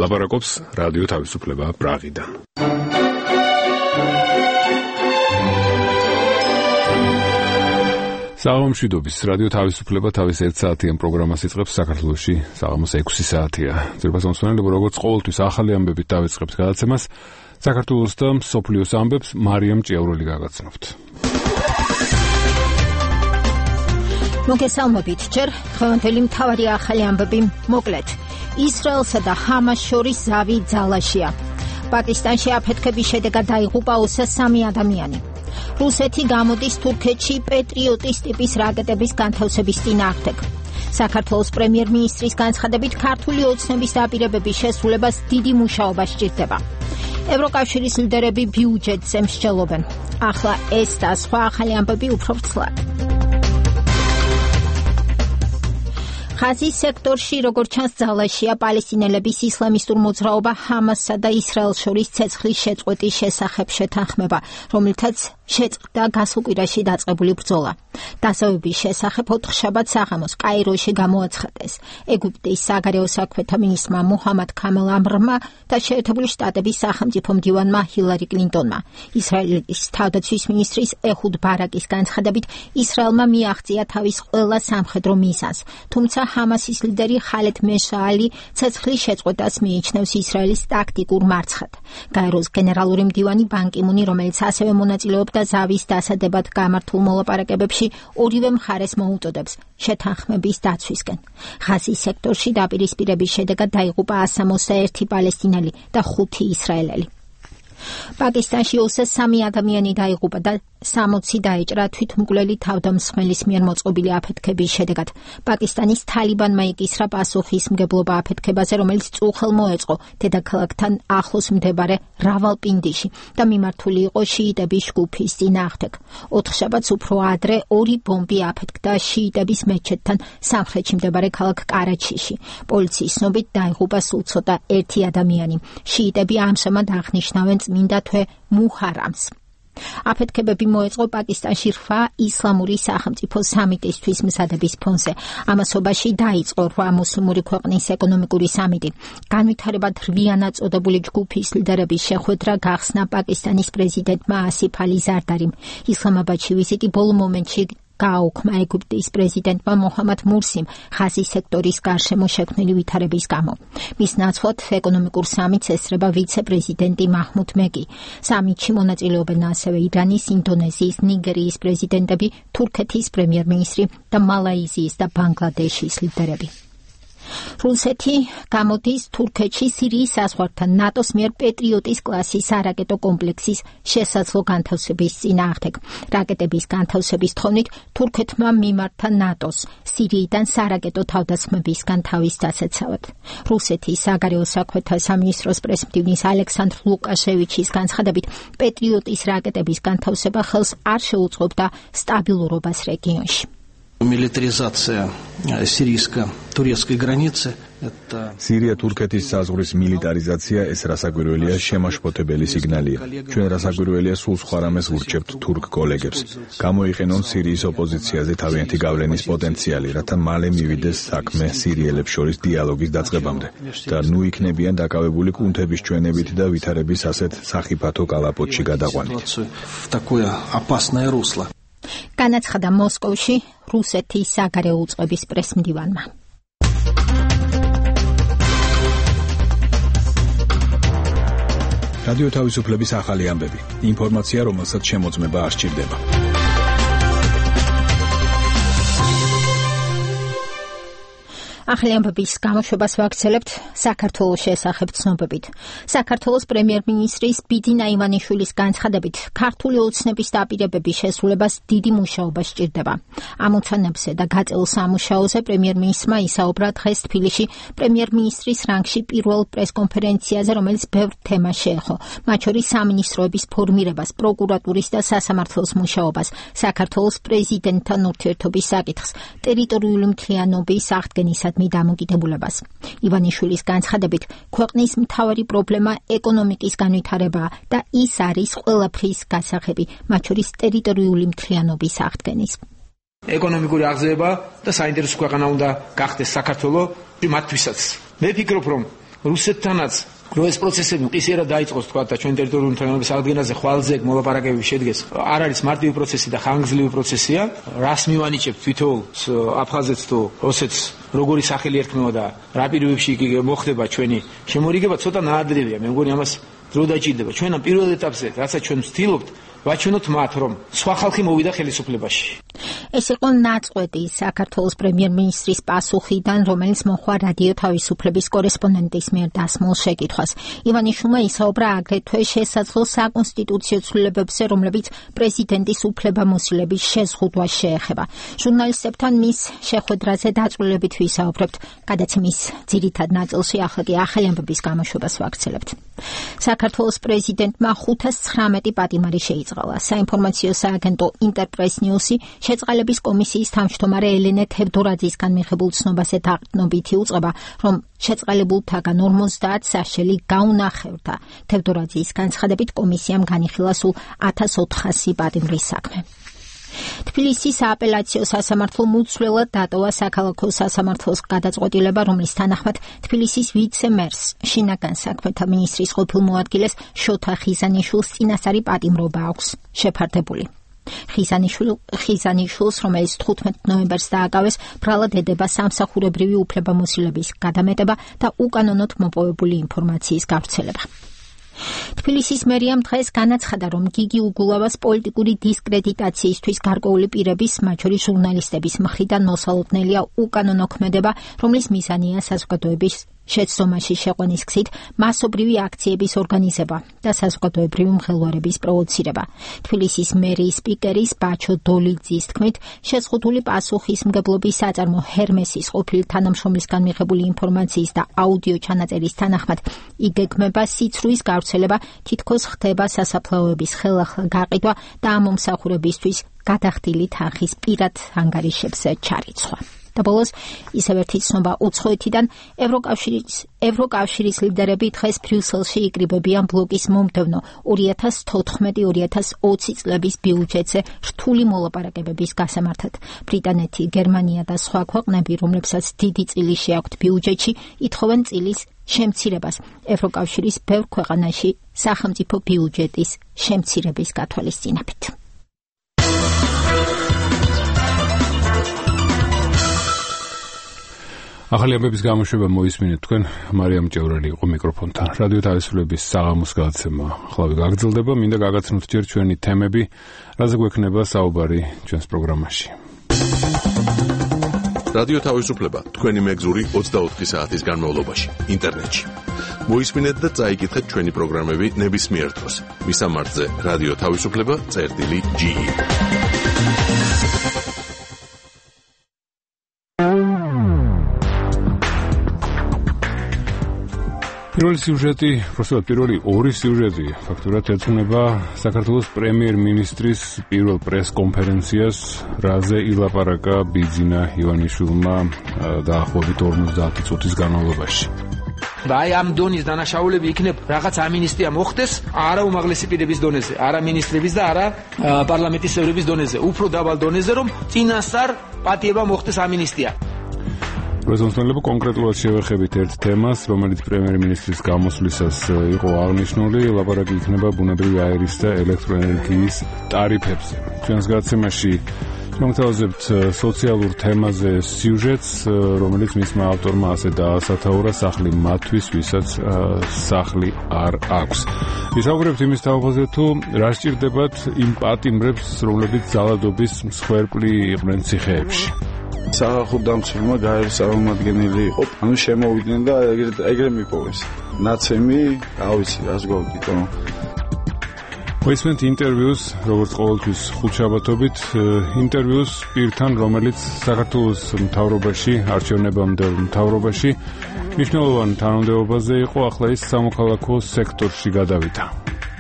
ლაპარაკობს რადიო თავისუფლება პრაღიდან. საღამომშვიდობის რადიო თავისუფლება თავის 1 საათიან პროგრამას იწყებს საქართველოში საღამოს 6 საათია. ძირფას მომსვენელებო როგორც ყოველთვის ახალი ამბებით დავიწყებთ გადაცემას. საქართველოს და მსოფლიოს ამბებს მარიამ ჭიაურელი გაგაცნობთ. მოგესალმებით, ჯერ დღევანდელი მთავარი ახალი ამბები მოკლედ. ისრაელსა და ჰამას შორის ზავი ძალაშია. პაკისტანში აფეთქების შედეგად დაიღუპა 23 ადამიანი. რუსეთი გამოდის თურქეთში პეტრიოტის ტიპის რაკეტების განთავსების წინააღმდეგ. საქართველოს პრემიერ-მინისტრის განცხადებით ქართული ოცნების დაპირებების შესრულებას დიდი მუშაობა სჭირდება. ევროკავშირის ლიდერები ბიუჯეტზე მსჯელობენ. ახლა ეს და სხვა ახალი ამბები უფრო ვრცლად. ხაზის სექტორში როგორც ჩანს ძალაშია პალესტინელების ისლამისტურ მოძრაობა ჰამასსა და ისრაელს შორის ცეცხლის შეწყვეტის შესახებ შეთანხმება, რომელთაც შეწყდა გასულ კვირაში დაწყებული ბრძოლა. დასავების შესახებ ოთხშაბათ საღამოს კაიროში გამოაცხადეს ეგვიპტის საგარეო საქმეთა მინისტრმა მუჰამად ქამელ ამრმა და შეერთებული შტატების სახელმწიფო მდივანმა ჰილარი კლინტონმა. ისრაელის თავდაცვის მინისტრის ეჰუდ ბარაკის განცხადებით ისრაელმა მიაღწია თავის ყველა სამხედრო მიზანს, თუმცა ჰამასის ლიდერი ხალედ მეშაალი ცეცხლის შეწყვეტას მიიჩნევს ისრაელის ტაქტიკურ მარცხად. გაეროს გენერალური მდივანი ბან კი მუნი, რომელიც ასევე მონაწილეობდა ზავის დასადებად გამართულ მოლაპარაკებებში, ორივე მხარეს მოუწოდებს შეთანხმების დაცვისკენ. ხაზის სექტორში დაპირისპირების შედეგად დაიღუპა 161 პალესტინელი და 5 ისრაელელი. პაკისტანში 23 ადამიანი დაიღუპა და 60 დაეჭრა თვითმკვლელი თავდამსხმელის მიერ მოწყობილი აფეთქების შედეგად. პაკისტანის თალიბანმა იკისრა პასუხისმგებლობა აფეთქებაზე, რომელიც წუხელ მოეწყო დედაქალაქთან ახლოს მდებარე რავალპინდიში და მიმართული იყო შიიტების ჯგუფის წინააღმდეგ. ოთხშაბათს უფრო ადრე 2 ბომბი აფეთქდა შიიტების მეჩეთთან სამხრეთში მდებარე ქალაქ კარაჩიში. პოლიციის ცნობით დაიღუპა სულ ცოტა 1 ადამიანი. შიიტები ამჟამად აღნიშნავენ წმინდა თვე მუჰარამს. აფეთქებები მოეწყო პაკისტანში 8 ისლამური სახელმწიფო სამიტისთვის მზადების ფონზე. ამასობაში დაიწყო 8 მუსლიმური ქვეყნის ეკონომიკური სამიტი. განვითარებად რვიანად წოდებული ჯგუფის ლიდერების შეხვედრა გახსნა პაკისტანის პრეზიდენტმა ასიფ ალი ზარდარიმ. ისლამაბადში ვიზიტი ბოლო მომენტში გააუქმა ეგვიპტის პრეზიდენტმა მოჰამად მურსიმ ხაზის სექტორის გარშემო შექმნილი ვითარების გამო. მის ნაცვლად ეკონომიკურ სამიტს ესწრება ვიცე-პრეზიდენტი მაჰმუდ მეგი. სამიტში მონაწილეობენ ასევე ირანის, ინდონეზიის, ნიგერიის პრეზიდენტები, თურქეთის პრემიერ-მინისტრი და მალაიზიის და ბანგლადეშის ლიდერები. რუსეთი გამოდის თურქეთში სირიის საზღვართან ნატოს მიერ პეტრიოტის კლასის არაკეტო კომპლექსის შესაძლო განთავსების წინააღმდეგ. რაკეტების განთავსების თხოვნით თურქეთმა მიმართა ნატოს სირიიდან სარაკეტო თავდასხმებისგან თავის დასაცავად. რუსეთის საგარეო საქმეთა სამინისტროს პრესმდივნის ალექსანდრ ლუკაშევიჩის განცხადებით პეტრიოტის რაკეტების განთავსება ხელს არ შეუწყობდა სტაბილურობას რეგიონში. Милитаризация сирийско-турецкой границы это Სირია-თურქეთის საზღვრის მილიტარიზაცია ეს რასაკვირველია შემაშფოთებელი სიგნალია. ჩვენ რასაკვირველია სულ სხვა რამეს ვურჩევთ თურქ კოლეგებს. გამოიყენონ სირიის ოპოზიციაზე თავიანთი გავლენის პოტენციალი, რათა მალე მივიდეს საქმე სირიელებს შორის დიალოგის დაწყებამდე და ნუ იქნებიან დაკავებული კუნთების ჩვენებით და ვითარების ასეთ სახიფათო კალაპოტში გადაყვანით. такое опасное русло. განაცხადა მოსკოვში რუსეთის საგარეო უწყების პრესმდივანმა. რადიო თავისუფლების ახალი ამბები. ინფორმაცია, რომელსაც შემოწმება არ სჭირდება. ახალი ამბების გამოშვებას ვაგრძელებთ საქართველოს შესახებ ცნობებით. საქართველოს პრემიერ-მინისტრის ბიძინა ივანიშვილის განცხადებით, ქართული ოცნების დაპირებების შესრულებას დიდი მუშაობა სჭირდება. ამოცანებზე და გაწეულ სამუშაოზე პრემიერ-მინისტრმა ისაუბრა დღეს თბილისში პრემიერ-მინისტრის რანგში პირველ პრესკონფერენციაზე, რომელიც ბევრ თემას შეეხო, მათ შორის სამინისტროების ფორმირებას, პროკურატურის და სასამართლოს მუშაობას, საქართველოს პრეზიდენტთან ურთიერთობის საკითხს, ტერიტორიული მთლიანობის აღდგენისა დამოკიდებულებას. ივანიშვილის განცხადებით, ქვეყნის მთავარი პრობლემა ეკონომიკის განვითარებაა და ის არის ყველაფრის გასაღები, მათ შორის ტერიტორიული მთლიანობის აღდგენის. ეკონომიკური აღზევება და საინტერესო ქვეყანა უნდა გახდეს საქართველო მათთვისაც. მე ვფიქრობ, რომ რუსეთთანაც რო ეს პროცესები მყისიერად დაიწყოს თქვა და ჩვენ ტერიტორიული მთლიანობის აღდგენაზე ხვალზე მოლაპარაკებები შედგეს არ არის მარტივი პროცესი და ხანგრძლივი პროცესია რას მივანიჭებთ თვითონ აფხაზეთს თუ ოსეთს როგორი სახელი ერქმევა და რა პირობებში მოხდება ჩვენი შემორიგება ცოტა ნაადრევია მე მგონი ამას დრო დაჭირდება ჩვენ ამ პირველ ეტაპზე რასაც ჩვენ ვცდილობთ ვაჩვენოთ მათ რომ სხვა ხალხი მოვიდა ხელისუფლებაში ეს იყო ნაწყვეტი საქართველოს პრემიერ-მინისტრის პასუხიდან, რომელიც მოხდა რადიო თავისუფლების კორესპონდენტის მიერ დასმულ შეკითხვას. ივანიშვილმა ისაუბრა აგრეთვე შესაძლო საკონსტიტუციო ცვლილებებზე, რომლებიც პრეზიდენტის უფლებამოსილების შეზღუდვას შეეხება. ჟურნალისტებთან მის შეხვედრაზე დაწვრილებით ვისაუბრებთ, გადაცემის ძირითად ნაწილში ახლა კი ახალი ამბების გამოშვებას ვაგრძელებთ. საქართველოს პრეზიდენტმა 519 პატიმარი შეიწყალა. საინფორმაციო სააგენტო ინტერპრეს ნიუსი შეწყალების კომისიის თავმჯდომარე ელენე თევდორაძისგან მიღებულ ცნობაზე დაყრდნობითი უწყება, რომ შეწყალებულთაგან 50 საშელი გაუნახევრდა. თევდორაძის განცხადებით კომისიამ განიხილა სულ 1400 პატიმრის საქმე. თბილისის სააპელაციო სასამართლო მუცვლელად დატოვა საქალაქო სასამართლოს გადაწყვეტილება, რომლის თანახმად თბილისის ვიცე-მერს, შინაგან საქმეთა მინისტრის ყოფილ მოადგილეს შოთა ხიზანიშვილს წინასწარი პატიმრობა აქვს შეფარდებული. ხიზანიშვილს, რომელიც 15 ნოემბერს დააკავეს, ბრალად ედება სამსახურებრივი უფლებამოსილების გადამეტება და უკანონოდ მოპოვებული ინფორმაციის გავრცელება. თბილისის მერიამ დღეს განაცხადა, რომ გიგი უგულავას პოლიტიკური დისკრედიტაციისთვის გარკვეული პირების, მათ შორის ჟურნალისტების მხრიდან მოსალოდნელია უკანონო ქმედება, რომლის მიზანია საზოგადოების შეცდომაში შეყვანის გზით მასობრივი აქციების ორგანიზება და საზოგადოებრივი მღელვარების პროვოცირება. თბილისის მერიის სპიკერის ბაჩო დოლიძის თქმით, შეზღუდული პასუხისმგებლობის საწარმო ჰერმესის ყოფილი თანამშრომლისგან მიღებული ინფორმაციის და აუდიო ჩანაწერის თანახმად იგეგმება სიცრუის გავრცელება, თითქოს ხდება სასაფლაოების ხელახლა გაყიდვა და ამ მომსახურებისთვის გადახდილი თანხის პირად ანგარიშებს ჩარიცხვა. და ბოლოს ისევ ერთი ცნობა უცხოეთიდან ევროკავშირის ლიდერები დღეს ბრიუსელში იკრიბებიან ბლოკის მომდევნო 2014-2020 წლების ბიუჯეტზე რთული მოლაპარაკებების გასამართად. ბრიტანეთი, გერმანია და სხვა ქვეყნები, რომლებსაც დიდი წილი შეაქვთ ბიუჯეტში, ითხოვენ წილის შემცირებას ევროკავშირის ბევრ ქვეყანაში სახელმწიფო ბიუჯეტის შემცირების გათვალისწინებით. ახალი ამბების გამოშვება მოისმინეთ თქვენ. მარიამ ჭევრელი იყო მიკროფონთან. რადიო თავისუფლების საღამოს გადაცემა ხლავი გაგრძელდება. მინდა გაგაცნოთ ჯერ ჩვენი თემები, რაზე გვექნება საუბარი ჩვენს პროგრამაში. რადიო თავისუფლება თქვენი მეგზური 24 საათის განმავლობაში ინტერნეტში. მოისმინეთ და წაიკითხეთ ჩვენი პროგრამები ნებისმიერ დროს. მისამართზე რადიო თავისუფლება.ge. პირველი ორი სიუჟეტი ფაქტურად ეძღვნება საქართველოს პრემიერ-მინისტრის პირველ პრეს-კონფერენციას, რაზე ილაპარაკა ბიძინა ივანიშვილმა დაახლოებით 50 წუთის განმავლობაში. და აი ამ დონის დანაშაულები იქნებ რაღაც ამინისტია მოხდეს, არა უმაღლესი პირების დონეზე, არა მინისტრების და არა პარლამენტის წევრების დონეზე, უფრო დაბალ დონეზე, რომ წინასწარ პატიება მოხდეს ამინისტია. პრეზიდენტებო კონკრეტულად შევეხებით ერთ თემას, რომელიც პრემიერ-მინისტრის გამოსვლისას იყო აღნიშნული, ლაპარაკი იქნება ბუნებრივი აირის და ელექტროენერგიის ტარიფებზე. ჩვენს გადაცემაში მოგთავაზებთ სოციალურ თემაზე სიუჟეტს, რომელიც მისმა ავტორმა ასე დაასათაურა, სახლი მათთვის, ვისაც სახლი არ აქვს. ვისაუბრებთ იმის თაობაზე, თუ რა სჭირდებათ იმ პატიმრებს, რომლებიც ძალადობის მსხვერპლი იყვნენ ციხეებში. სახალხო-დამცველმა გაეროს წარმომადგენელი იყო, შემოვიდნენ და ეგრე მიპოვეს. ნაცემი, რა ვიცი, რას გვაქვს. მოისმენთ ინტერვიუს, როგორც ყოველთვის ხუთშაბათობით, ინტერვიუს პირთან, რომელიც საქართველოს მთავრობაში, არჩევნებამდე მთავრობაში მნიშვნელოვან თანამდებობაზე იყო, ახლა ის სამოქალაქო სექტორში გადავიდა.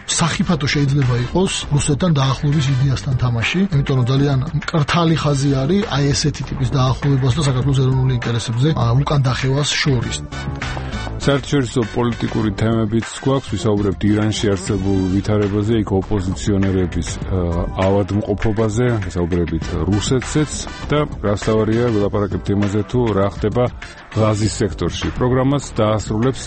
სახიფათო შეიძლება იყოს რუსეთთან დაახლოების იდეასთან თამაში, იმიტომ რომ ძალიან მკრთალი ხაზი არის აი ესეთი ტიპის დაახლოებას და საქართველოს ეროვნული ინტერესებზე უკან დახევას შორის. საერთაშორისო პოლიტიკური თემებიც გვაქვს, ვისაუბრებთ ირანში არსებულ ვითარებაზე, იქ ოპოზიციონერების ავადმყოფობაზე, ვისაუბრებით რუსეთზეც და გასავარია ვილაპარაკებთ იმაზე, თუ რა ხდება ღაზის სექტორში. პროგრამას დაასრულებს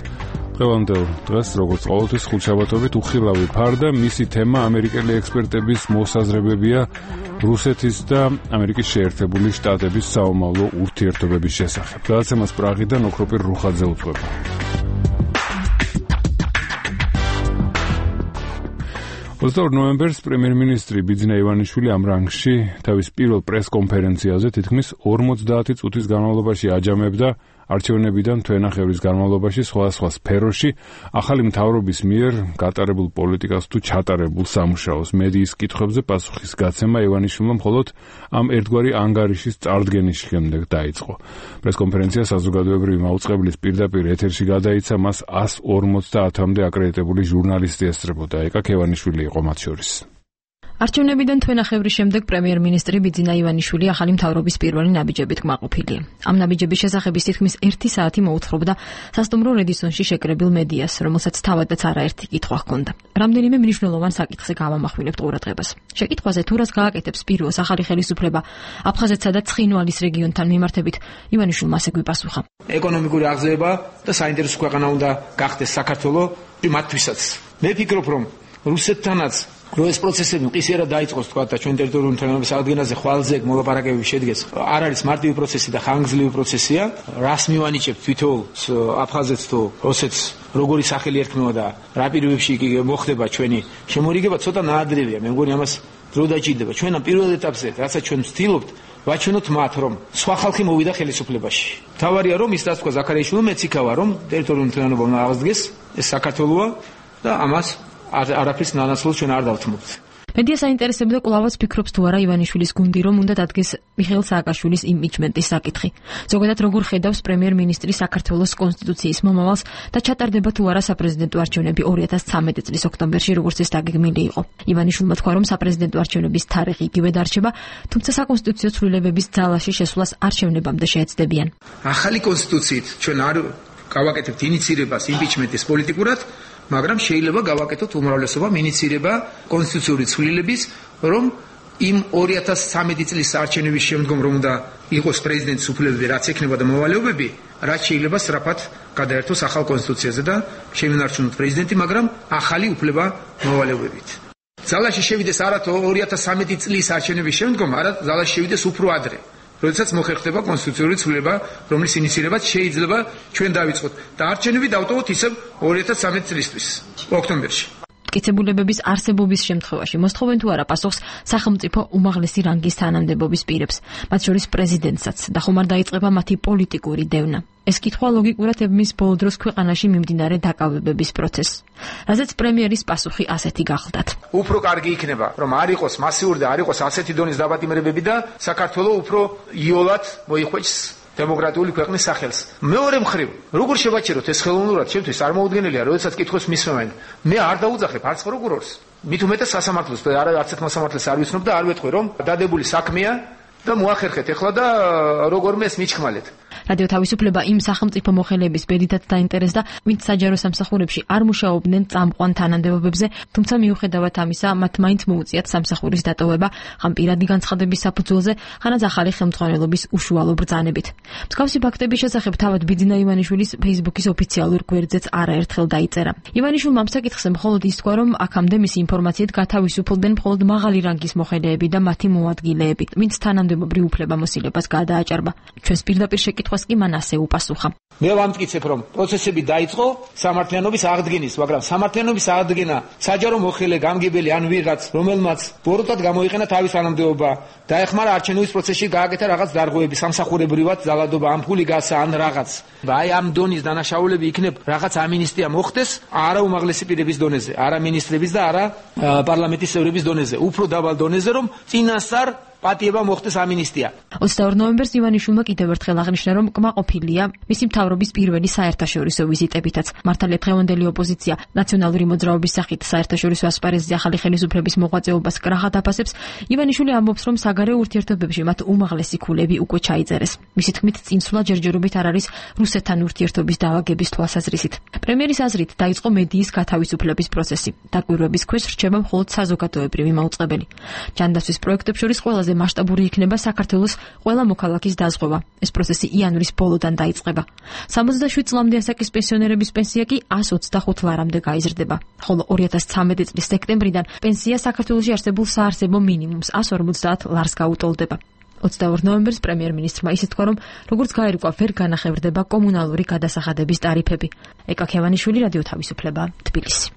დღევანდელ დღეს როგორც ყოველთვის ხუთშაბათობით უხილავი ფარდა მისი თემა ამერიკელი ექსპერტების მოსაზრებებია რუსეთის და ამერიკის შეერთებული შტატების საომავლო ურთიერთობების შესახებ. გადაცემას პრაღიდან ოქროპირ რუხაძე უძღვება. 22 ნოემბერს პრემიერ-მინისტრი ბიძინა ივანიშვილი ამ რანგში თავის პირველ პრეს-კონფერენციაზე თითქმის 50 წუთის განმავლობაში აჯამებდა არჩევნებიდან თვენახევრის განმავლობაში სხვადასხვა სფეროში ახალი მთავრობის მიერ გატარებულ პოლიტიკას თუ ჩატარებულ სამუშაოს. მედიის კითხვებზე პასუხის გაცემა ივანიშვილმა მხოლოდ ამ ერთგვარი ანგარიშის წარდგენის შემდეგ დაიწყო. პრესკონფერენცია საზოგადოებრივი მაუწყებლის პირდაპირ ეთერში გადაიცა, მას 150-მდე აკრედიტებული ჟურნალისტი ესწრებოდა. ეკა ქევანიშვილი იყო მათ შორის. არჩევნებიდან თვენახევრის შემდეგ პრემიერ-მინისტრი ბიძინა ივანიშვილი ახალი მთავრობის პირველი ნაბიჯებით კმაყოფილია. ამ ნაბიჯების შესახების თითქმის 1 საათი მოუთხრობდა სასტუმრო რედისონში შეკრებილ მედიას, რომელსაც თავადაც არაერთი კითხვა ჰქონდა. რამდენიმე მნიშვნელოვან საკითხზე გავამახვილებთ ყურადღებას. შეკითხვაზე თუ რას გააკეთებს პირველს ახალი ხელისუფლება აფხაზეთსა და ცხინვალის რეგიონთან მიმართებით, ივანიშვილმა ასე გვიპასუხა. ეკონომიკური აღზევება და საინტერესო ქვეყანა უნდა გახდეს საქართველოს მათთვისაც. მე ვფიქრობ, რომ რუსეთთანაც ეს პროცესები მყისიერად დაიწყოს თქვა და ჩვენ ტერიტორიული მთლიანობის აღდგენაზე ხვალზე მოლაპარაკებები შედგეს. არ არის მარტივი პროცესი და ხანგრძლივი პროცესია. რას მივანიჭებთ თვითონ აფხაზეთს თუ ოსეთს როგორი სახელი ერქმევა და რა პირობებში კი მოხდება ჩვენი შემორიგება ცოტა ნაადრევია. მე მგონი ამას დრო დაჭირდება. ჩვენ ამ პირველ ეტაპზე, რასაც ჩვენ ვცდილობთ, ვაჩვენოთ მათ, რომ სხვა ხალხი მოვიდა ხელისუფლებაში. თავარია რომ ის რაც თქვა ზაქარიაშვილმა, მეც იქავა რომ ტერიტორიული მთლიანობა უნდა აღდგეს, ეს საქართველოა და ამას არაფრის ნანაცვლოდ ჩვენ არ დავთმობთ. მედია საინტერესებდა კვლავაც ფიქრობს თუ არა ივანიშვილის გუნდი, რომ უნდა დადგეს მიხეილ სააკაშვილის იმპიჩმენტის საკითხი. ზოგადად როგორ ხედავს პრემიერ-მინისტრი საქართველოს კონსტიტუციის მომავალს და ჩატარდება თუ არა საპრეზიდენტო არჩევნები 2013 წლის ოქტომბერში, როგორც ეს დაგეგმილი იყო. ივანიშვილმა თქვა, რომ საპრეზიდენტო არჩევნების თარიღი იგივე დარჩება, თუმცა საკონსტიტუციო ცვლილებების ძალაში შესვლას არჩევნებამდე შეეცდებიან. ახალი კონსტიტუციით ჩვენ არ გავაკეთებთ ინიცირებას იმპიჩმენტის პოლიტიკურად, მაგრამ შეიძლება გავაკეთოთ უმრავლესობამ ინიცირება კონსტიტუციური ცვლილების, რომ იმ 2013 წლის არჩევნების შემდგომ რომ უნდა იყოს პრეზიდენტის უფლებები, რაც ექნება და მოვალეობები, რაც შეიძლება სწრაფად გადაერთოს ახალ კონსტიტუციაზე და შემინარჩუნოთ პრეზიდენტი, მაგრამ ახალი უფლება მოვალეობებით. ძალაში შევიდეს არა 2013 წლის არჩევნების შემდგომ, არამედ ძალაში შევიდეს უფრო ადრე. როდესაც მოხერხდება კონსტიტუციური ცვლილება, რომლის ინიცირებაც შეიძლება ჩვენ დავიწყოთ და არჩევნები დავტოვოთ ისევ 2013 წლისთვის, ოქტომბერში. მტკიცებულებების არსებობის შემთხვევაში მოსთხოვენ თუ არა პასუხს სახელმწიფო უმაღლესი რანგის თანამდებობის პირებს, მათ შორის პრეზიდენტსაც და ხომ არ დაიწყება მათი პოლიტიკური დევნა. ეს კითხვა ლოგიკურად ებმის ბოლო დროს ქვეყანაში მიმდინარე დაკავებების პროცესს. რაზეც პრემიერის პასუხი ასეთი გახლდათ. უფრო კარგი იქნება, რომ არ იყოს მასიური და არ იყოს ასეთი დონის დაბატიმრებები და საქართველოს უფრო იოლად მოიხვეჭს დემოკრატიული ქვეყნის სახელს. მეორე მხრივ, როგორ შევაჩეროთ ეს ხელოვნურად, ჩემთვის არ მოუდგენელია, როდესაც კითხოს მისმევენ. მე არ დაუძახებ არც პროკურორს, მით უმეტეს სასამართლოს და არც ერთ მოსამართლეს არ ვიცნობ და არ ვეტყვი, რომ დადებული საქმეა და მოახერხეთ ეხლა და როგორმე ეს მიჩქმალეთ. რადიო თავისუფლება იმ სახელმწიფო მოხელეების ბედითაც დაინტერესდა, ვინც საჯარო სამსახურებში არ მუშაობდნენ წამყვან თანამდებობებზე, თუმცა მიუხედავად ამისა, მათ მაინც მოუწიათ სამსახურის დატოვება, ხან პირადი განცხადების საფუძველზე, ხანაც ახალი ხელმძღვანელობის უშუალო ბრძანებით. მსგავსი ფაქტების შესახებ თავად ბიძინა ივანიშვილის Facebook-ის ოფიციალურ გვერდზეც არაერთხელ დაიწერა. ივანიშვილმა ამ საკითხზე მხოლოდ ის თქვა, რომ აქამდე მისი ინფორმაციით გათავისუფლდნენ მხოლოდ მაღალი რანგის მოხელეები და მათი მოადგილეები, ვინც თანამდებობრივ უფლებამოსილებას გადააჭარბა. ჩვენს პირდაპირ შეკითხვას კი მან ასე უპასუხა. მე ვამტკიცებ, რომ პროცესები დაიწყო სამართლიანობის აღდგენის, მაგრამ სამართლიანობის აღდგენა საჯარო მოხელე, გამგებელი ან ვიღაც, რომელმაც ბოროტად გამოიყენა თავის თანამდებობა, დაეხმარა არჩევნების პროცესში გააკეთა რაღაც დარღვევები, სამსახურებრივად ძალადობა, ამ ფული გასა ან რაღაც. აი ამ დონის დანაშაულები იქნებ რაღაც ამინისტია მოხდეს, არა უმაღლესი პირების დონეზე, არა მინისტრების და არა პარლამენტის წევრების დონეზე, უფრო დაბალ დონეზე, რომ წინასწარ პატიება მოხდეს ამინისტია. 22 ნოემბერს ივანიშვილმა კიდევ ერთხელ აღნიშნა, რომ კმაყოფილია მისი მთავრობის პირველი საერთაშორისო ვიზიტებითაც. მართალია დღევანდელი ოპოზიცია ნაციონალური მოძრაობის სახით საერთაშორისო ასპარეზზე ახალი ხელისუფლების მოღვაწეობას კრახად აფასებს. ივანიშვილი ამბობს, რომ საგარეო ურთიერთობებში მათ უმაღლესი ქულები უკვე ჩაიწერეს. მისი თქმით, წინსვლა ჯერჯერობით არ არის რუსეთთან ურთიერთობის დავაგების თვალსაზრისით. პრემიერის აზრით დაიწყო მედიის გათავისუფლების პროცესი. დაკვირვების ქვეშ რჩება მხოლოდ საზოგადოებრივი მაუწყებელი. ჯანდაცვის პროექტებს შორის ყველაზე მასშტაბური იქნება საქართველოს ყველა მოქალაქის დაზღვევა. ეს პროცესი იანვრის ბოლოდან დაიწყება. 67 წლამდე ასაკის პენსიონერების პენსია კი 125 ლარამდე გაიზრდება, ხოლო 2013 წლის სექტემბრიდან პენსია საქართველოში არსებულ საარსებო მინიმუმს 150 ლარს გაუტოლდება. 22 ნოემბერს პრემიერ-მინისტრმა ისე თქვა, რომ როგორც გაირკვა, ვერ განახევრდება კომუნალური გადასახადების ტარიფები. ეკა ქევანიშვილი, რადიო თავისუფლება, თბილისი.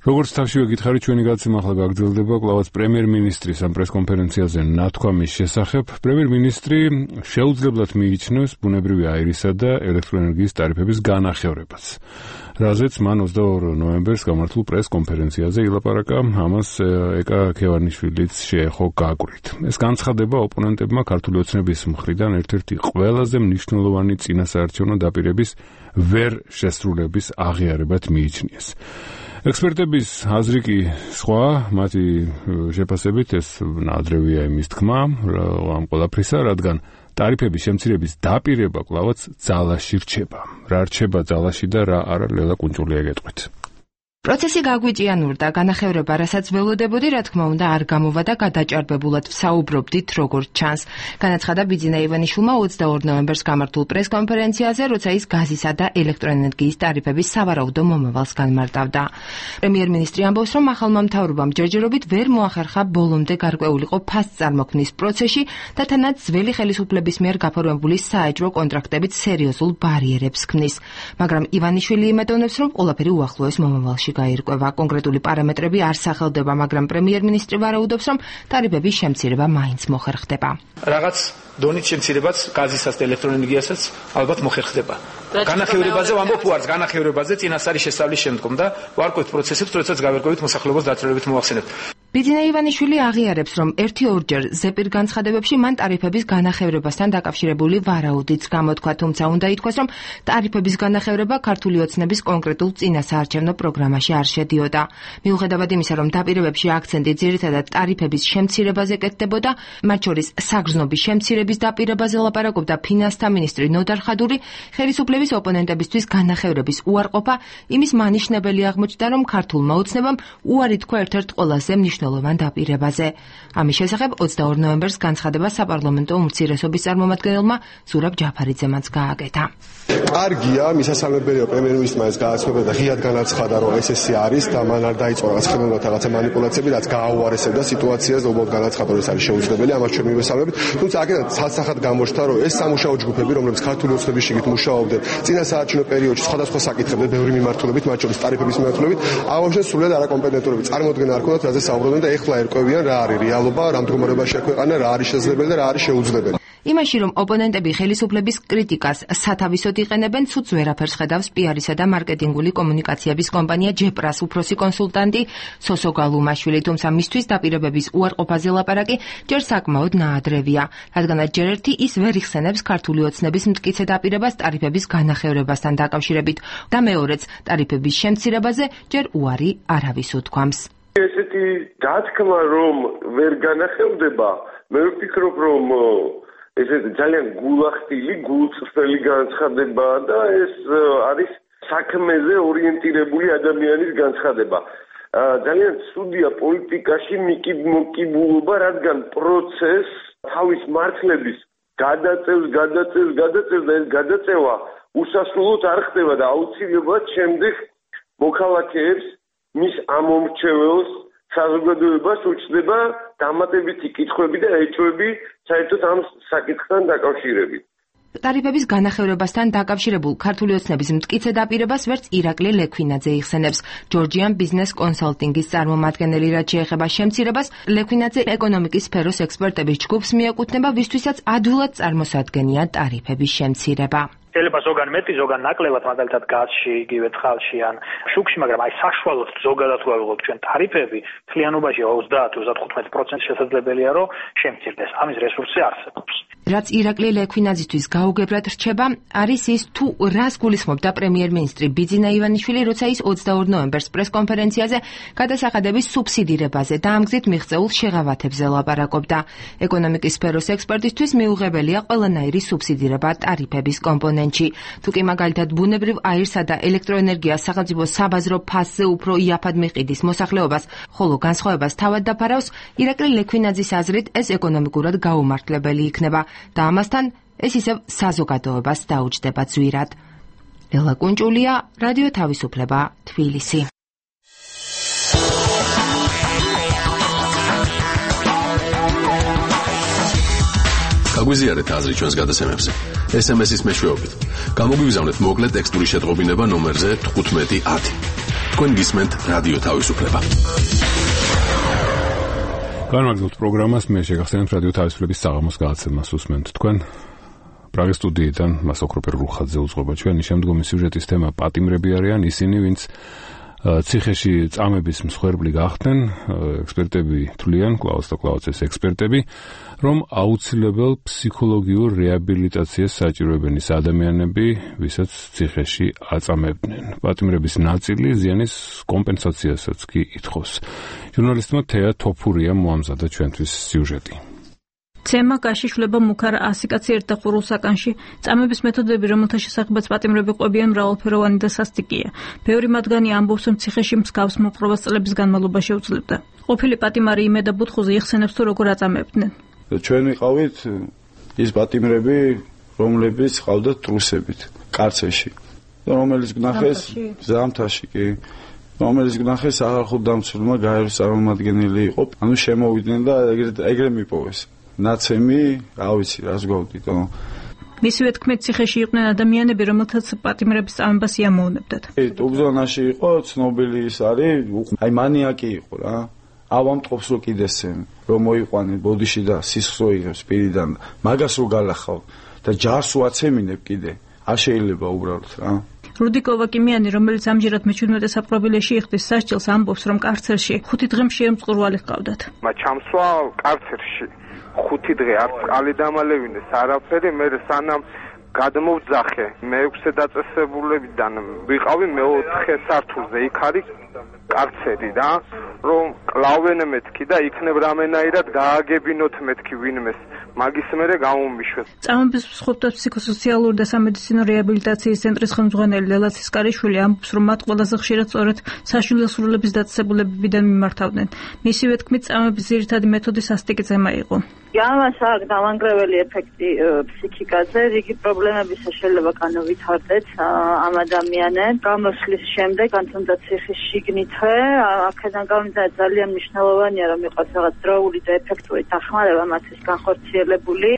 როგორც თავშივე გითხარით, ჩვენი გადაცემა ახლა გაგრძელდება კვლავაც პრემიერ-მინისტრის ამ პრესკონფერენციაზე ნათქვამის შესახებ. პრემიერ-მინისტრი შეუძლებლად მიიჩნევს ბუნებრივი აირისა და ელექტროენერგიის ტარიფების განახევრებას, რაზეც მან 22 ნოემბერს გამართულ პრესკონფერენციაზე ილაპარაკა, ამას ეკა ქევანიშვილიც შეეხო გაკვირით. ეს განცხადება ოპონენტებმა ქართული ოცნების მხრიდან ერთ-ერთი ყველაზე მნიშვნელოვანი წინასაარჩევნო დაპირების ვერ შესრულების აღიარებად მიიჩნიეს. ექსპერტების აზრი კი სხვა, მათი შეფასებით ეს ნაადრევია იმის თქმა ამ ყველაფრისა, რადგან ტარიფების შემცირების დაპირება კვლავაც ძალაში რჩება. რა რჩება ძალაში და რა არა, ლელა კუნჭულია გეტყვით. პროცესი გაგვიჭიანურდა, განახევრება, რასაც ველოდებოდი, რა თქმა უნდა, არ გამოვა და გადაჭარბებულად ვსაუბრობდით, როგორც ჩანს. განაცხადა ბიძინა ივანიშვილმა 22 ნოემბერს გამართულ პრესკონფერენციაზე, როცა ის გაზისა და ელექტროენერგიის ტარიფების სავარაუდო მომავალს განმარტავდა. პრემიერ-მინისტრი ამბობს, რომ ახალმა მთავრობამ ჯერჯერობით ვერ მოახერხა ბოლომდე გარკვეულიყო ფასს წარმოქმნის პროცესში და თანაც ძველი ხელისუფლების მიერ გაფორმებული საეჭვო კონტრაქტებით სერიოზულ ბარიერებს ქმნის. მაგრამ ივანიშვილი იმედოვნებს, რომ ყველაფერი უახლოეს მომავალში გაირკვევა. კონკრეტული პარამეტრები არ სახელდება, მაგრამ პრემიერ-მინისტრი ვარაუდობს, რომ ტარიფების შემცირება მაინც მოხერხდება. რაღაც დონით შემცირებაც გაზისაც და ელექტროენერგიასაც ალბათ მოხერხდება. განახევრებაზე ვამბობ უარს, განახევრებაზე წინასწარი შესწავლის შემდგომ და ვარკვევთ პროცესებს, როდესაც გავერკვევით მოსახლეობას დაწვრილებით მოვახსენებთ. ბიძინა ივანიშვილი აღიარებს, რომ ერთი-ორჯერ ზეპირ განცხადებებში მან ტარიფების განახევრებასთან დაკავშირებული ვარაუდიც გამოთქვა, თუმცა უნდა ითქვას, რომ ტარიფების განახევრება ქართული ოცნების კონკრეტულ წინასაარჩევნო პროგრამაში არ შედიოდა. მიუხედავად იმისა, რომ დაპირებებში აქცენტი ძირითადად ტარიფების შემცირებაზე კეთდებოდა, მათ შორის საგრძნობის შემცირების დაპირებაზე ლაპარაკობდა ფინანსთა მინისტრი ნოდარ ხადური, ხელისუფლების ოპონენტებისთვის განახევრების უარყოფა იმის მანიშნებელი აღმოჩნდა, რომ ქართულმა ოცნებამ უარი თქვა ერთ-ერთ ყველაზე მნიშვნელოვან დაპირებაზე. ამის შესახებ 22 ნოემბერს განცხადება საპარლამენტო უმცირესობის წარმომადგენელმა ზურაბ ჯაფარიძემაც გააკეთა. კარგია, მისასალმებელია პრემიერ-მინისტრმა ეს გააცნობა და ღიად განაცხადა, რომ ესე არის და მან არ დაიწყო რაღაც ხელოვნურად რაღაცა манипуляციები, რაც გააუარესებდა სიტუაციას და უბრალოდ განაცხადა, რომ ეს არის შეუძლებელი, ამას ჩვენ მივესალმებით. თუმცა აქედან ცალსახად გამოჩნდა, რომ ეს სამუშაო ჯგუფები, რომლებიც ქართული ოცნების შიგნით მუშაობდნენ წინასაარჩევნო პერიოდში სხვადასხვა საკითხებზე, ბევრი მიმართულებით, მათ შორის ტარიფების მიმართულებით, აღნიშნეს სრულად არაკომპეტენტურები წარმოადგენა არ ქონდათ, რაზე საუბრობდნენ და ეხლა ერკვევიან რა არის რეალობა, რა მდგომარეობაშია ქვეყანა, რა არის შესაძლებელი და რა არის შეუძლებელი. იმაში, რომ ოპონენტები ხელისუფლების კრიტიკას სათავისოდ იყენებენ, ცუც ვერაფერს ხედავს პიარისა და მარკეტინგული კომუნიკაციების კომპანია ჯეპრას უფროსი კონსულტანტი სოსო გალუმაშვილი, თუმცა მისთვის დაპირებების უარყოფაზე ლაპარაკი ჯერ საკმაოდ ნაადრევია, რადგანაც ჯერ ერთი ის ვერ იხსენებს ქართული ოცნების მტკიცე დაპირებას ტარიფების განახევრებასთან დაკავშირებით და მეორეც ტარიფების შემცირებაზე ჯერ უარი არავის უთქვამს. ესეთი დათქმა, რომ ვერ განახევდება, მე ვფიქრობ, რომ ეს ძალიან გულახდილი, გულწრფელი განცხადებაა და ეს არის საქმეზე ორიენტირებული ადამიანის განცხადება. ძალიან ცუდია პოლიტიკაში მოკიბულობა, რადგან პროცესს თავის მართლების გადაწევს და ეს გადაწევა უსასრულოდ არ ხდება და აუცილებლად შემდეგ მოქალაქეებს მის ამომრჩეველს საზოგადოებას უჩნდება დამატებითი კითხვები და ეჭვები საერთოდ ამ საკითხთან დაკავშირებით. ტარიფების განახევრებასთან დაკავშირებულ ქართული ოცნების მტკიცე დაპირებას ვერც ირაკლი ლექვინაძე იხსენებს. ჯორჯიან ბიზნეს კონსალტინგის წარმომადგენელი, რაც შეეხება შემცირებას, ლექვინაძე ეკონომიკის სფეროს ექსპერტების ჯგუფს მიეკუთვნება, ვისთვისაც ადვილად წარმოსადგენია ტარიფების შემცირება. შეიძლება ზოგან მეტი, ზოგან ნაკლებად, მაგალითად გაზში, იგივე წყალში ან შუქში, მაგრამ აი საშუალოდ ზოგადად ვაღვიძებთ ჩვენ ტარიფები, მთლიანობაში 30-35% შესაძლებელია, რომ შემცირდეს. ამის რესურსი არსებობს. რაც ირაკლი ლექვინაძისთვის გაუგებრად რჩება, არის ის თუ რას გულისხმობდა პრემიერ-მინისტრი ბიძინა ივანიშვილი, როცა ის 22 ნოემბერს პრესკონფერენციაზე გადასახადების სუბსიდირებაზე და ამ გზით მიღწეულ შეღავათებზე ლაპარაკობდა. ეკონომიკის სფეროს ექსპერტისთვის მიუღებელია ყველანაირი სუბსიდირება ტარიფების კომპონენტში. თუ კი მაგალითად ბუნებრივ აირსა და ელექტროენერგიას სახელმწიფო საბაზრო ფასზე უფრო იაფად მიყიდის მოსახლეობას, ხოლო განსხვავებას თავად დაფარავს, ირაკლი ლექვინაძის აზრით ეს ეკონომიკურად გაუმართლებელი იქნება და ამასთან ეს ისევ საზოგადოებას დაუჯდება ძვირად. ელლა კუნჭულია, რადიო თავისუფლება, თბილისი. გაგვიზიარეთ აზრი ჩვენს გადაცემებზე. SMS-ის მეშვეობით. გამოგვიგზავნეთ მოკლე ტექსტური შეტყობინება ნომერზე 1510. თქვენ გისმენთ რადიო თავისუფლება. განვაგრძობთ პროგრამას, მე შეგახსენებთ რადიო თავისუფლების საღამოს გადაცემას უსმენთ თქვენ. პრაღის სტუდიიდან მას ოქროპერ რუხაძე უძღვება. ჩვენი შემდგომი სიუჟეტის თემა პატიმრები არიან ისინი, ვინც ციხეში წამების მსხვერპლი გახდნენ. ექსპერტები თვლიან, კლაუს და კლაუცის ექსპერტები, რომ აუცილებელ ფსიქოლოგიურ რეაბილიტაციას საჭიროებენ ის ადამიანები, ვისაც ციხეში აწამებდნენ. პატიმრების ნაწილი ზიანის კომპენსაციასაც კი ითხოვს. ჟურნალისტმა თეა თოფურია მოამზადა ჩვენთვის სიუჟეტი. ცემა გაშიშვლება მუქარ 100 კაცი ერთ და ხურულს საკანში. წამების მეთოდები, რომელთა შესახებაც პატიმრები ყვებიან, მრავალფეროვანი და სასტიკია. ბევრი მათგანი ამბობს, რომ ციხეში მსგავს მოპყრობას წლების განმავლობაში შეუძლებდა. ყოფილი პატიმარი იმედა ბუთხუზე იხსენებს, თუ როგორ აწამებდნენ. ჩვენ ვიყავით ის პატიმრები, რომლებიც ყავდათ ტრუსებით, კარცერში. რომელიც გნახეს ზამთარში კი. რომელიც გნახეს აღარხუდამცველმა გაეროს წარმომადგენელი იყო. ანუ შემოვიდნენ და ეგრე მიპოვეს. ნაცემი, რა ვიცი, რას გვავდითო. მისივე თქმით, ციხეში იყვნენ ადამიანები, რომელთაც პატიმრების წამებას იამოვნებდათ. ტუბზონაში იყო ცნობილი ის არის, აი მანიაკი იყო რა. ავამტყობს რო კიდესენ, რომ მოიყვანენ ბოდიში და სისხლს იღებს პირიდან, მაგას რო გალახავ და ჯარს უაცემინებ კიდე. არ შეიძლება უბრალოდ რა. რუდიკოვა კიმიანი, რომელიც ამჯერად მე-17 საპყრობილეში იხდის სასჯელს, ამბობს, რომ კარცერში 5 დღე მშიერ მწყურვალი ჰყავდათ. ჩამსვა კარცერში 5 დღე არც ყალი დამალევინეს არაფერი, მე სანამ გადმოვძახე მე-6 დაწესებულებიდან ვიყავი მე-4 სართულზე, იქ არის კარცერი რა, რომ კლავენ მეთქი და იქნებ რამენაირად გააგებინოთ მეთქი ვინმეს, მაგის მერე გამომიშვეს. წამების მსხვერპლთა ფსიქოსოციალური და სამედიცინო რეაბილიტაციის ცენტრის ხელმძღვანელი ლელა ცისკარიშვილი ამბობს, რომ მათ ყველაზე ხშირად სწორედ საშვილოსრულების დაწესებულებებიდან მიმართავდნენ. მისივე თქმით, წამების ძირითადი მეთოდი სასტიკი ძემა იყო. ამას აქვს დამანგრეველი ეფექტი ფსიქიკაზე, რიგი პრობლემების შეიძლება განავითარდეთ ამ ადამიანებს. გამოსვლის შემდეგ, ან თუნდაც ციხის შიგნითვე, აქედან გამომდინარე ძალიან მნიშვნელოვანია, რომ იყოს რაღაც დროული და ეფექტური დახმარება მათთვის განხორციელებული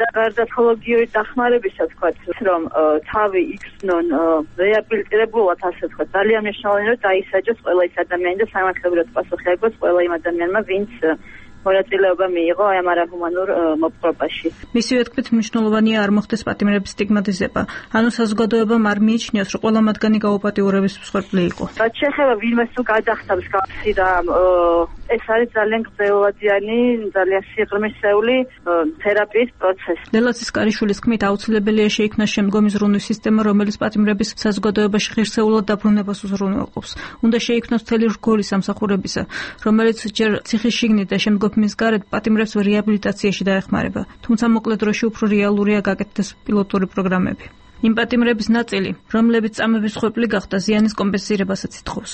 და გარდაცვალებიური დახმარებისა თქვათ, რომ თავი იქნონ რეაბილიტირებულად, ასე თქვათ, ძალიან მნიშვნელოვანია, რომ დაისაჯოს ყველა ის ადამიანი და სამართლებრივად პასუხი აიღოს ყველა იმ ადამიანმა, ვინც მონაწილეობა მიიღო ამ არაჰუმანურ მოპყრობაში. მისივე თქმით, მნიშვნელოვანია არ მოხდეს პატიმრების სტიგმატიზება. ანუ საზოგადოებამ არ მიიჩნიოს, რომ ყველა მათგანი გაუპატიურების მსხვერპლი იყო. რაც შეეხება ვინმეს თუ გადახტავს გავსი და ეს არის ძალიან გრძელვადიანი, ძალიან სიღრმისეული თერაპიის პროცესი. ლელა ცისკარიშვილის თქმით, აუცილებელია შეიქმნას შემდგომი ზრუნვის სისტემა, რომელიც პატიმრების საზოგადოებაში ღირსეულად დაბრუნებას უზრუნველყოფს. უნდა შეიქმნას მთელი რგოლი სამსახურებისა, რომელიც ჯერ ციხის შიგნით და შემდგომ მის გარეთ პატიმრებს რეაბილიტაციაში დაეხმარება, თუმცა მოკლე დროში უფრო რეალურია გაკეთდეს პილოტური პროგრამები. იმ პატიმრების ნაწილი, რომლებიც წამების მსხვერპლი გახდა, ზიანის კომპენსირებასაც ითხოვს.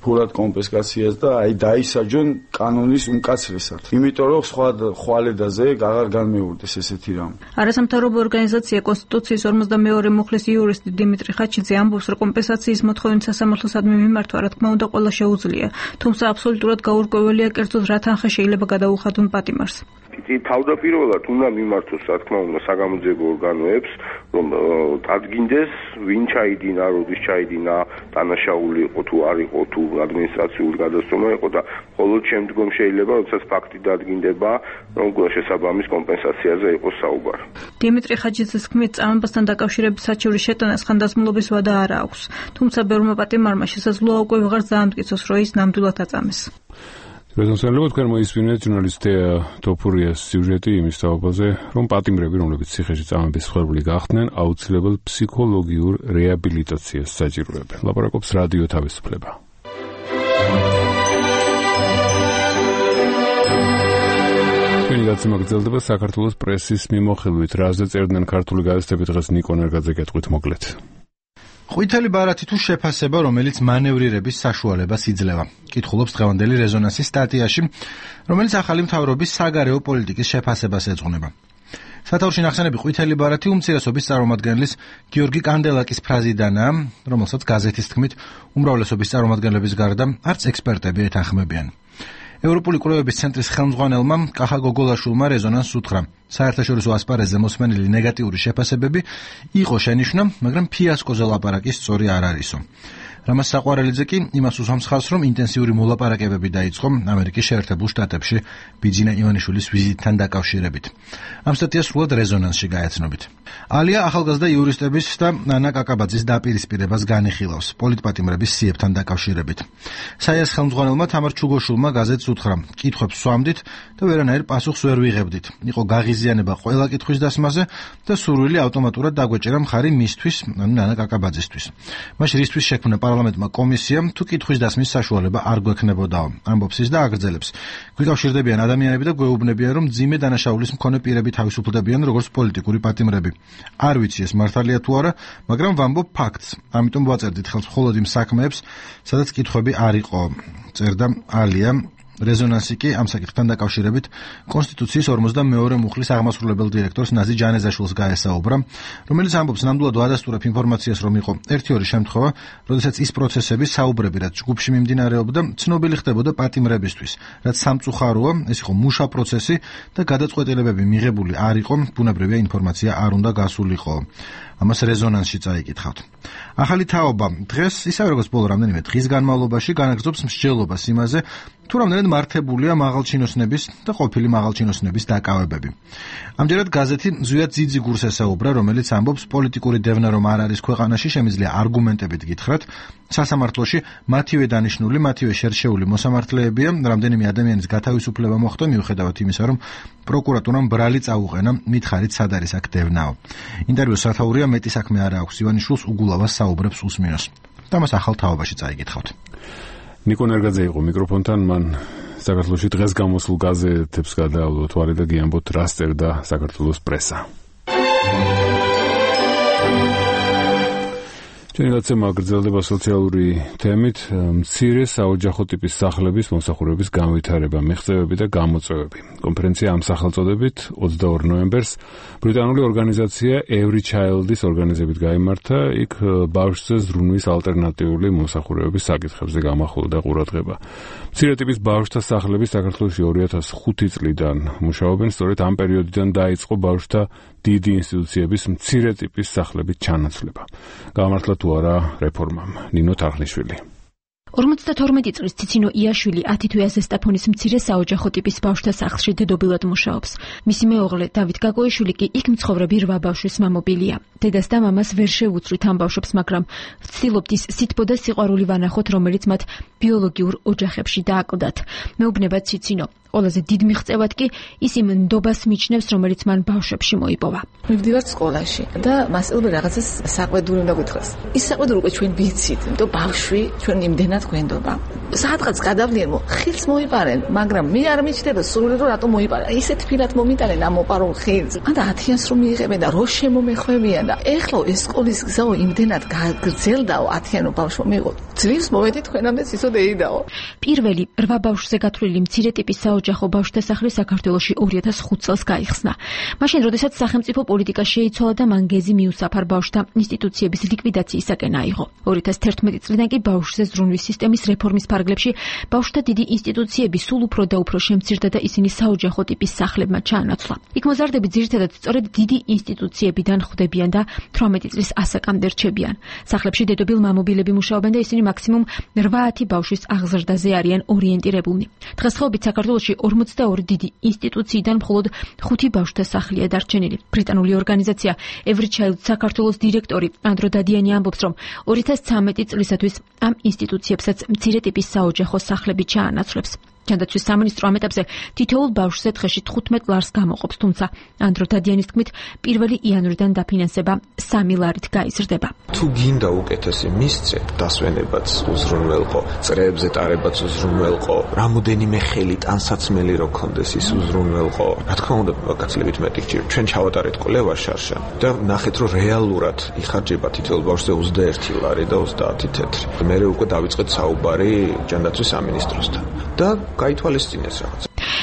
ფულად კომპენსაციას და აი დაისაჯონ კანონის უმკაცრესად. იმიტომ რომ სხვა ხვალედაზე აღარ განმეორდეს ესეთი რამ. არასამთავრობო ორგანიზაცია კონსტიტუციის 52 მუხლის იურისტი დიმიტრი ხაჩიძე ამბობს, რომ კომპენსაციის მოთხოვნით სასამართლოსადმი მიმართვა, რა თქმა უნდა, ყველა შეუძლია, თუმცა აბსოლუტურად გაურკვეველია კერძოდ რა თანხა შეიძლება გადაუხადონ პატიმარს. თავდაპირველად უნდა მიმართოს, რა თქმა უნდა, საგამოძიებო ორგანოებს, რომ დადგინდეს, ვინ ჩაიდინა, როდის ჩაიდინა, დანაშაული იყო თუ არ იყო, თუ ადმინისტრაციული გადასწორება იყო და მხოლოდ შემდგომ შეიძლება, როდესაც ფაქტი დადგინდება, რომ შესაბამის კომპენსაციაზე იყოს საუბარი. დიმიტრი ხაჩიძის თქმით, წამებასთან დაკავშირებით საჩივრის შეტანას ხანდაზმულობის ვადა არ აქვს, თუმცა ბევრმა პატიმარმა შესაძლოა უკვე ვეღარ დაამტკიცოს, რომ ის ნამდვილად აწამეს. რეზონსელობთ თქვენ მოისმინეთ ჟურნალისტი თოფურიას სიუჟეტი იმის თაობაზე, რომ პატიმრები, რომლებიც ციხეში წამების მსხვერპლი გახდნენ, აუცილებელ ფსიქოლოგიურ რეაბილიტაციას საჭიროებენ. ლაპარაკობს რადიო თავისუფლება. ჩვენი გაცემა გრძელდება საქართველოს პრესის მიმოხილვით. რაზე წერდნენ ქართული გაზეთები დღეს ნიკო ნერგაძე გეტყვით მოკლედ. ყვითელი ბარათი თუ შეფასება, რომელიც მანევრირების საშუალებას იძლევა. კითხულობს დღევანდელი რეზონანსის სტატიაში, რომელიც ახალი მთავრობის საგარეო პოლიტიკის შეფასებას ეძღვნება. სათაურში ნახსენები ყვითელი ბარათი უმცირესობის წარმომადგენლის გიორგი კანდელაკის ფრაზიდანაა, რომელსაც გაზეთის თქმით უმრავლესობის წარმომადგენლების გარდა არც ექსპერტები ეთანხმებიან. ევროპული კვლევების ცენტრის ხელმძღვანელმა კახა გოგოლაშვილმა რეზონანსს უთხრა. საერთაშორისო ასპარეზზე მოსმენილი ნეგატიური შეფასებები იყო შენიშვნა, მაგრამ ფიასკოზე ლაპარაკი სწორი არ არისო. რამაზ საყვარელიძე კი იმას უსვამს ხაზს, რომ ინტენსიური მოლაპარაკებები დაიწყო ამერიკის შეერთებულ შტატებში ბიძინა ივანიშვილის ვიზიტთან დაკავშირებით. ამ სტატიას სრულად რეზონანსში გაეცნობით. ალია ახალგაზრდა იურისტების და ნანა კაკაბაძის დაპირისპირებას განიხილავს პოლიტპატიმრების სიებთან დაკავშირებით. საიას ხელმძღვანელმა თამარ ჩუგოშვილმა გაზეთს უთხრა: კითხვებს სვამდით და ვერანაირ პასუხს ვერ ვიღებდით. იყო გაღიზიანება ყველა კითხვის დასმაზე და სურვილი ავტომატურად დაგვეჭერა მხარი მისთვის, ნანა კაკაბაძისთვის. მაშინ რისთვის შექმნა პარლამენტმა კომისია, თუ კითხვის დასმის საშუალება არ გვექნებოდაო, ამბობს ის და აგრძელებს. გვიკავშირდებიან ადამიანები და გვეუბნებიან, რომ მძიმე დანაშაულის მქონე პირები თავისუფლდებიან როგორც პოლიტიკური პატიმრები. არ ვიცი ეს მართალია თუ არა, მაგრამ ვამბობ ფაქტს. ამიტომ ვაწერდით ხელს მხოლოდ იმ საქმეებს, სადაც კითხვები არ იყო, წერდა ალია. რეზონანსი კი ამ საკითხთან დაკავშირებით კონსტიტუციის 42 მუხლის აღმასრულებელ დირექტორს ნაზი ჯანეზაშვილს გაესაუბრა, რომელიც ამბობს ნამდვილად ვადასტურებ ინფორმაციას, რომ იყო 1-2 შემთხვევა, როდესაც ის პროცესები საუბრები, რაც ჯგუფში მიმდინარეობდა, ცნობილი ხდებოდა პატიმრებისთვის, რაც სამწუხაროა, ეს იყო მუშა პროცესი და გადაწყვეტილებები მიღებული არ იყო, ბუნებრივია ინფორმაცია არ უნდა გასულიყო. ამას რეზონანსში წაიკითხავთ. ახალი თაობა დღეს, ისევე როგორც ბოლო რამდენიმე დღის განმავლობაში განაგრძობს მსჯელობას იმაზე, თუ რამდენად მართებულია მაღალჩინოსნების და ყოფილი მაღალჩინოსნების დაკავებები. ამჯერად გაზეთი ზვიად ძიძიგურს ესაუბრა, რომელიც ამბობს, პოლიტიკური დევნა რომ არ არის ქვეყანაში, შემიძლია არგუმენტებით გითხრათ, სასამართლოში მათივე დანიშნული, მათივე შერჩეული მოსამართლეებია, რამდენიმე ადამიანის გათავისუფლება მოხდა მიუხედავად იმისა, რომ პროკურატურამ ბრალი წაუყენა, მითხარით სად არის აქ დევნაო. ინტერვიუს სათაურია მეტი საქმე არ აქვს, ივანიშვილს უგულავას საუბრებს უსმინოს. და მას ახალ თაობაში წაიკითხავთ. ნიკო ნერგაძე იყო მიკროფონთან, მან საქართველოში დღეს გამოსულ გაზეთებს გადაავლო თვარი და გიამბოთ რა სწერდა საქართველოს პრესა. ჩვენი გაცემა გრძელდება სოციალური თემით, მცირე საოჯახო ტიპის სახლების მომსახურების განვითარება, მიღწევები და გამოწვევები. კონფერენცია ამ სახელწოდებით 22 ნოემბერს ბრიტანული ორგანიზაცია Every Child-ის ორგანიზებით გაიმართა, იქ ბავშვზე ზრუნვის ალტერნატიული მომსახურებების საკითხებზე გამახვილდა ყურადღება. მცირე ტიპის ბავშვთა სახლები საქართველოში 2005 წლიდან მუშაობენ, სწორედ ამ პერიოდიდან დაიწყო ბავშვთა დიდი ინსტიტუციების მცირე ტიპის სახლებით ჩანაცვლება. გამართლა თუ არა რეფორმამ. ნინო თარხნიშვილი. 52 წლის ციცინო იაშვილი 10 თვეა ზესტაფონის მცირე საოჯახო ტიპის ბავშვთა სახლში დედობილად მუშაობს. მისი მეუღლე დავით გაგოიშვილი კი იქ მცხოვრები 8 ბავშვის მამობილია. დედას და მამას ვერ შეუცვლით ამ ბავშვებს, მაგრამ ვცდილობთ ის სითბო და სიყვარული ვანახოთ, რომელიც მათ ბიოლოგიურ ოჯახებში დააკლდათ. მეუბნება ციცინო. ყველაზე დიდ მიღწევად კი ის იმ ნდობას მიჩნევს, რომელიც მან ბავშვებში მოიპოვა. მივდივართ სკოლაში და მასწავლებელი რაღაცას საყვედური უნდა გითხრას. ის საყვედური უკვე ჩვენ ვიცით, იმიტომ ბავშვი ჩვენ იმდენად გვენდობა. სადღაც გადავლიან, ხილს მოიპარენ, მაგრამ მე არ მიჩნდება სრული რომ რატომ მოიპარენ. ისეთ ფილად მომიტანენ ამ მოპარულ ხილს. ანდა 10-იანს რომ მიიღებენ და რო შემომეხვევიან და ეხლა ეს სკოლის გზაო იმდენად გაგრძელდაო 10-იანო ბავშვო მიიღო. ძლივს მოვედი თქვენამდე ისოდე იდაო. პირველი 8 ბავშვზე გათვლილი მცირე ტიპის საოჯახო ბავშვთა სახლი საქართველოში 2005 წელს გაიხსნა. მაშინ, როდესაც სახელმწიფო პოლიტიკა შეიცვალა და მან გეზი მიუსაფარ ბავშვთა ინსტიტუციების ლიკვიდაციისაკენ აიღო. 2011 წლიდან კი ბავშვზე ზრუნვის სისტემის რეფორმის ფარგლებში ბავშვთა დიდი ინსტიტუციები სულ უფრო და უფრო შემცირდა და ისინი საოჯახო ტიპის სახლებმა ჩაანაცვლა. იქ მოზარდები ძირითადად სწორედ დიდი ინსტიტუციებიდან ხვდებიან და 18 წლის ასაკამდე რჩებიან. სახლებში დედობილ მამობილები მუშაობენ და ისინი მაქსიმუმ 8-10 ბავშვის აღზრდაზე არიან ორიენტირებულნი. დღესდღეობით საქართველოში 42 დიდი ინსტიტუციიდან მხოლოდ 5 ბავშვთა სახლია დარჩენილი. ბრიტანული ორგანიზაცია Every Child საქართველოს დირექტორი ანდრო დადიანი ამბობს, რომ 2013 წლისათვის ამ ინსტიტუციებსაც მცირე ტიპის საოჯახო სახლები ჩაანაცვლებს. ჯანდაცვის სამინისტრო ამ ეტაპზე თითოეულ ბავშვზე დღეში 15 ლარს გამოყოფს, თუმცა ანდრო დადიანის თქმით 1 იანვრიდან დაფინანსება 3 ლარით გაიზრდება. თუ გინდა უკეთესი მისცე, დასვენებაც უზრუნველყო, წრეებზე ტარებაც უზრუნველყო, რამოდენიმე ხელი ტანსაცმელი რო ქონდეს ის უზრუნველყო. რა თქმა უნდა, გაცილებით მეტი გჭირ. ჩვენ ჩავატარეთ კვლევა შარშან და ნახეთ, რომ რეალურად იხარჯება თითოეულ ბავშვზე 21 ლარი და 30 თეთრი. მე უკვე დავიწყეთ საუბარი ჯანდაცვის სამინისტროსთან და გაითვალისწინეს რაღაც.